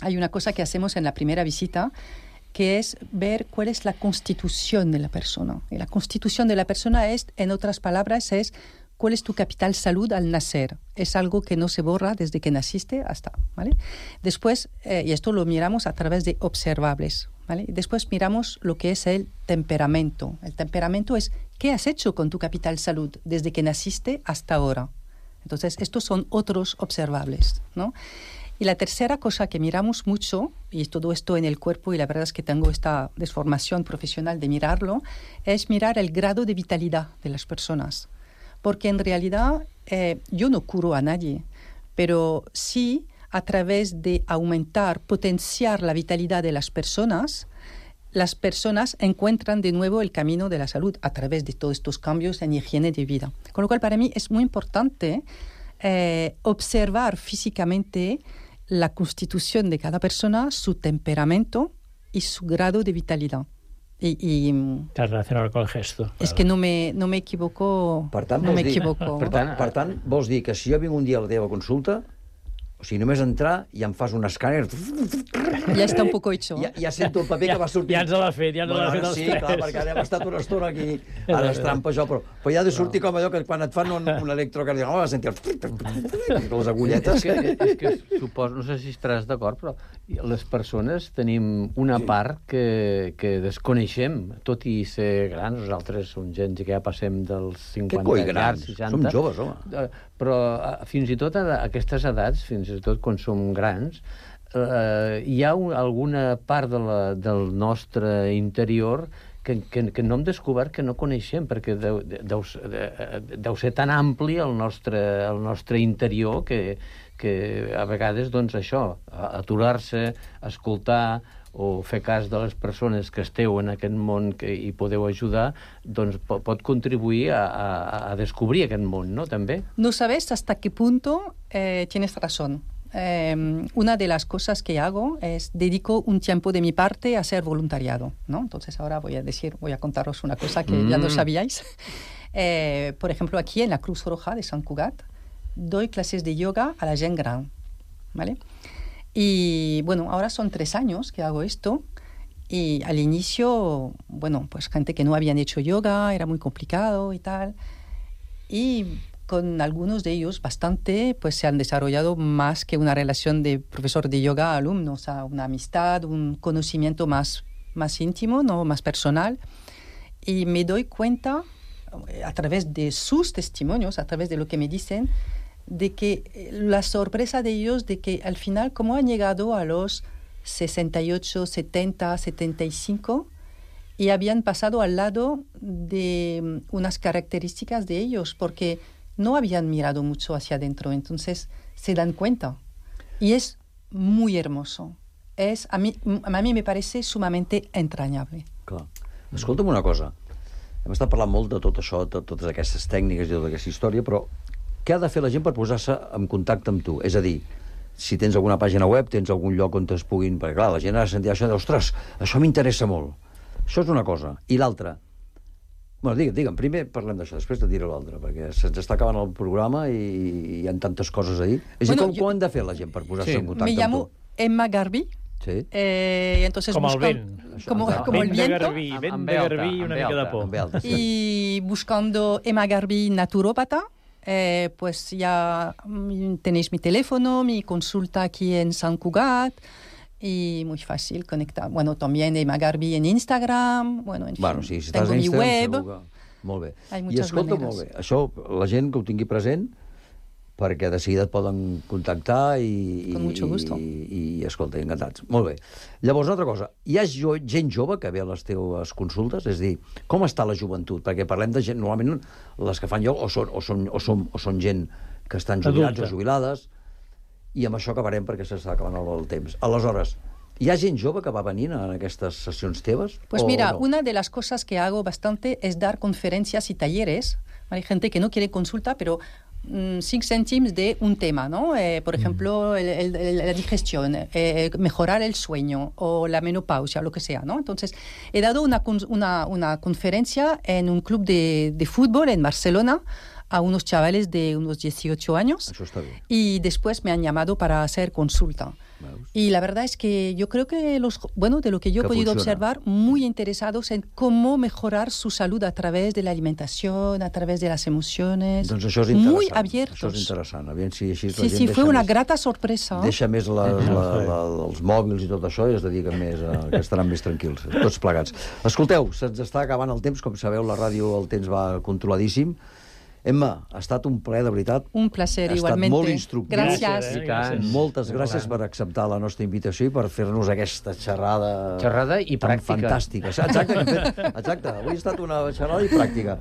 hay una cosa que hacemos en la primera visita, que es ver cuál es la constitución de la persona. Y la constitución de la persona es, en otras palabras, es cuál es tu capital salud al nacer. Es algo que no se borra desde que naciste hasta, ¿vale? Después, eh, y esto lo miramos a través de observables, ¿vale? Después miramos lo que es el temperamento. El temperamento es qué has hecho con tu capital salud desde que naciste hasta ahora. Entonces, estos son otros observables, ¿no? Y la tercera cosa que miramos mucho, y todo esto en el cuerpo, y la verdad es que tengo esta desformación profesional de mirarlo, es mirar el grado de vitalidad de las personas. Porque en realidad eh, yo no curo a nadie, pero sí a través de aumentar, potenciar la vitalidad de las personas, las personas encuentran de nuevo el camino de la salud a través de todos estos cambios en higiene de vida. Con lo cual, para mí es muy importante eh, observar físicamente la constitución de cada persona, su temperamento y su grado de vitalidad. I, i Está relacionado con el gesto. És claro. que no me, no me equivoco. Per tant, no vols me dir, equivoco. per, tant, per tant, vols dir que si jo vinc un dia a la teva consulta, o sigui, només entrar i em fas un escàner... Ja està un poco hecho. Ja, ja sento el paper ja, que va sortir. Ja ens l'ha fet, ja ens bueno, l'ha fet ara els sí, tres. clar, perquè ara hem estat una estona aquí. Ara és trampa, això, però, però ja ha de sortir com allò que quan et fan un, un electrocardiograma vas sentir les agulletes. És que, és que suposo, no sé si estaràs d'acord, però les persones tenim una part que, que desconeixem, tot i ser grans. Nosaltres som gent que ja passem dels cinquanta, coi, grans? seixanta. Som joves, home. Però fins i tot a aquestes edats, fins i tot quan som grans, eh, hi ha un, alguna part de la, del nostre interior que, que, que no hem descobert, que no coneixem, perquè deu, deu, deu ser tan ampli el nostre, el nostre interior que, que a vegades, doncs, això, aturar-se, escoltar o fer cas de les persones que esteu en aquest món que hi podeu ajudar, doncs pot, pot contribuir a, a, a descobrir aquest món, ¿no?, també. No sabes hasta qué punto eh, tienes razón. Eh, una de las cosas que hago es dedico un tiempo de mi parte a hacer voluntariado, ¿no? Entonces ahora voy a decir, voy a contaros una cosa que mm. ya no sabíais. Eh, por ejemplo, aquí en la Cruz Roja de Sant Cugat doy clases de yoga a la gent gran, ¿vale? Y bueno, ahora son tres años que hago esto y al inicio, bueno, pues gente que no habían hecho yoga, era muy complicado y tal. Y con algunos de ellos bastante, pues se han desarrollado más que una relación de profesor de yoga a alumno, o sea, una amistad, un conocimiento más, más íntimo, ¿no?, más personal. Y me doy cuenta, a través de sus testimonios, a través de lo que me dicen, de que la sorpresa de ellos, de que al final, como han llegado a los sesenta y ocho, setenta, setenta y cinco, y habían pasado al lado de unas características de ellos, porque no habían mirado mucho hacia adentro, entonces se dan cuenta. Y es muy hermoso. Es, a, mí, a mí me parece sumamente entrañable. Clar. Escolta'm una cosa. Hem estat parlant molt de tot això, de totes aquestes tècniques i tota aquesta història, però què ha de fer la gent per posar-se en contacte amb tu? És a dir, si tens alguna pàgina web, tens algun lloc on es puguin... Perquè, clar, la gent ha de sentir això i dir, ostres, això m'interessa molt. Això és una cosa. I l'altra? Bueno, digue'm, digue'm, primer parlem d'això, després te diré l'altre, perquè se'ns està acabant el programa i hi ha tantes coses a dir. És bueno, a dir, com, jo... com han de fer la gent per posar-se sí. en contacte Me llamo amb tu? Emma Garbi. Sí. Eh, entonces como busca... el vent. Como, no, como el viento. Garbí, vent de Garbí y una mica de por. Y buscando Emma Garbi naturópata, eh, pues ya tenéis mi teléfono, mi consulta aquí en Sant Cugat, y muy fácil conectar. Bueno, también Emma Garbi en Instagram, bueno, en bueno, fin, sí, si tengo mi web. Que... Molt bé. Hay I escolta, maneres. molt bé, això la gent que ho tingui present, perquè de seguida et poden contactar i, Con mucho gusto. i, i, i escolta, encantats. Molt bé. Llavors, una altra cosa, hi ha jo, gent jove que ve a les teves consultes? És a dir, com està la joventut? Perquè parlem de gent, normalment les que fan jo o són, o són, o són, o són gent que estan jubilats Adulta. o jubilades, i amb això acabarem perquè s'està acabant el, el temps. Aleshores, hi ha gent jove que va venint en aquestes sessions teves? Pues o mira, no? una de las cosas que hago bastante es dar conferencias y talleres. Hay gente que no quiere consulta, pero mm, cinc céntimos de un tema, ¿no? Eh, por ejemplo, el, el, el, la digestión, eh, mejorar el sueño o la menopausia, lo que sea, ¿no? Entonces, he dado una, una, una conferencia en un club de, de fútbol en Barcelona a unos chavales de unos dieciocho años. Eso está bien. Y después me han llamado para hacer consulta. Veus. Y la verdad es que yo creo que los, bueno, de lo que yo he que podido funciona. observar, muy interesados en cómo mejorar su salud a través de la alimentación, a través de las emociones. Doncs això és interessant. Muy abiertos. Això és interessant. Aviam si així sí, sí, fue una més, grata sorpresa. Deixa més la, la, la, els mòbils i tot això i es dediquen més a, que estaran més tranquils, tots plegats. Escolteu, se'ns està acabant el temps, com sabeu, la ràdio el temps va controladíssim. Emma, ha estat un plaer, de veritat. Un placer, igualment. Ha estat molt instructiu. Gràcies. Eh? Gràcies. Moltes gràcies per acceptar la nostra invitació i per fer-nos aquesta xerrada... Xerrada i pràctica. Fantàstica. Exacte, que hem fet, exacte. Avui ha estat una xerrada i pràctica.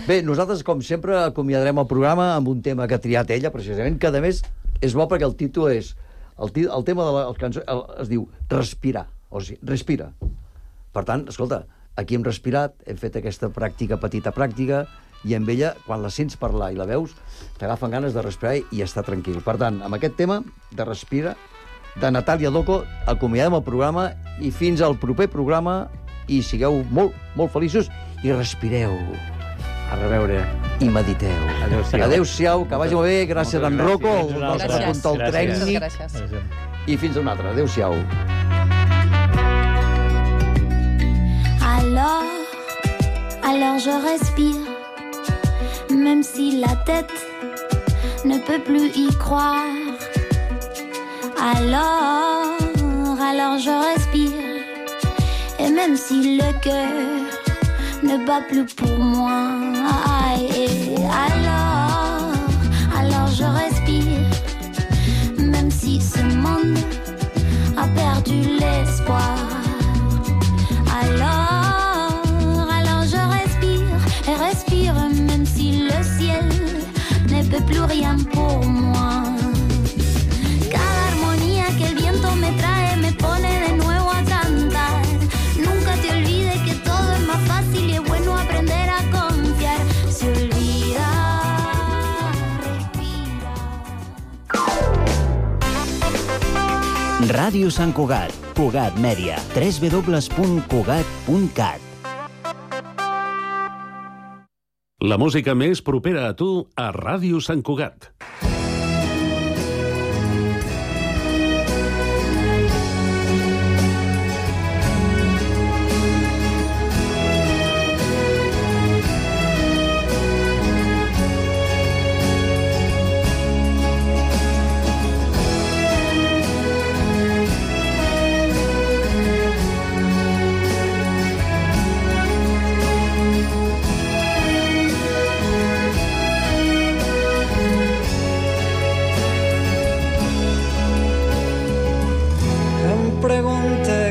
Bé, nosaltres, com sempre, acomiadarem el programa amb un tema que ha triat ella, precisament, que, a més, és bo perquè el títol és... El, el tema de la el cançó el, es diu Respirar. O sigui, respira. Per tant, escolta, aquí hem respirat, hem fet aquesta pràctica, petita pràctica, i amb ella, quan la sents parlar i la veus, t'agafen ganes de respirar i estar tranquil. Per tant, amb aquest tema de Respira, de Natàlia Doco, acomiadem el programa i fins al proper programa i sigueu molt, molt feliços i respireu. A reveure. I mediteu. Adéu-siau. Adéu-siau, que vagi molt bé. Gràcies d'en Rocco, el nostre control tècnic. Gràcies. I fins a un altre. Adéu-siau. Alors, alors je respire. Même si la tête ne peut plus y croire. Alors, alors je respire. Et même si le cœur ne bat plus pour moi. Alors, alors je respire. Même si ce monde a perdu l'espoir. Alors, alors je respire et respire. Même si le ciel ne peut plus rien pour moi. Cada armonía que el viento me trae me pone de nuevo a cantar. Nunca te olvides que todo es más fácil y es bueno aprender a confiar. Se olvida, respira. Ràdio Sant Cugat, Cugat Mèdia, w w w punt cugat punt cat. La música més propera a tu a Ràdio Sant Cugat.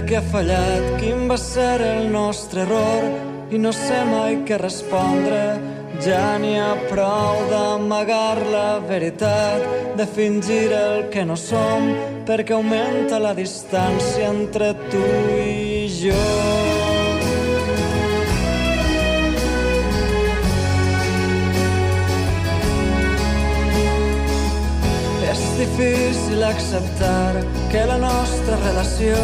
Què ha fallat, quin va ser el nostre error i no sé mai què respondre. Ja n'hi ha prou d'amagar la veritat, de fingir el que no som, perquè augmenta la distància entre tu i jo. És difícil acceptar que la nostra relació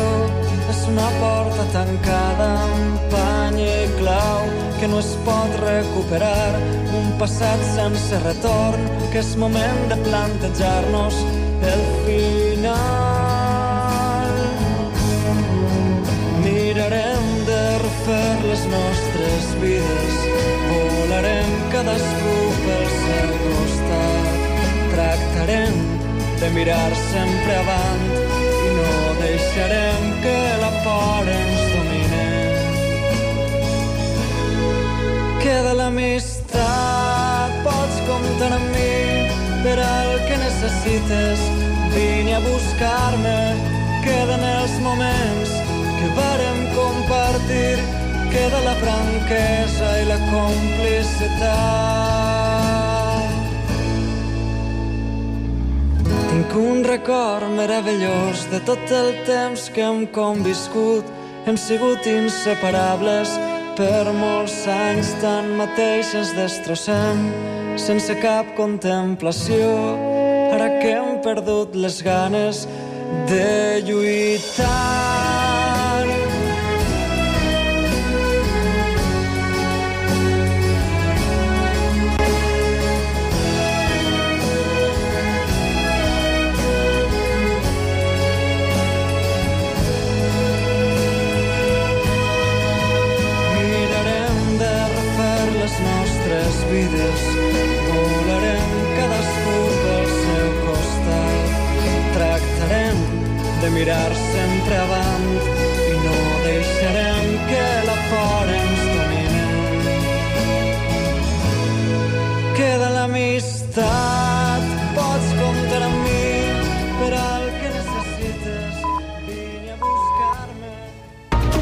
és una porta tancada amb pany i clau que no es pot recuperar, un passat sense retorn, que és moment de plantejar-nos el final. Mirarem de refer les nostres vides, volarem cadascú pel seu costat, tractarem de mirar sempre avant i no deixarem que la por ens domine. Queda l'amistat, pots comptar amb mi per al que necessites, vine a buscar-me, queden els moments que vàrem compartir, queda la franquesa i la complicitat. Tinc un record meravellós de tot el temps que hem conviscut. Hem sigut inseparables per molts anys, tanmateix ens destrossem sense cap contemplació, ara que hem perdut les ganes de lluitar. Vides, volarem cadascú pel seu costat, tractarem de mirar sempre avant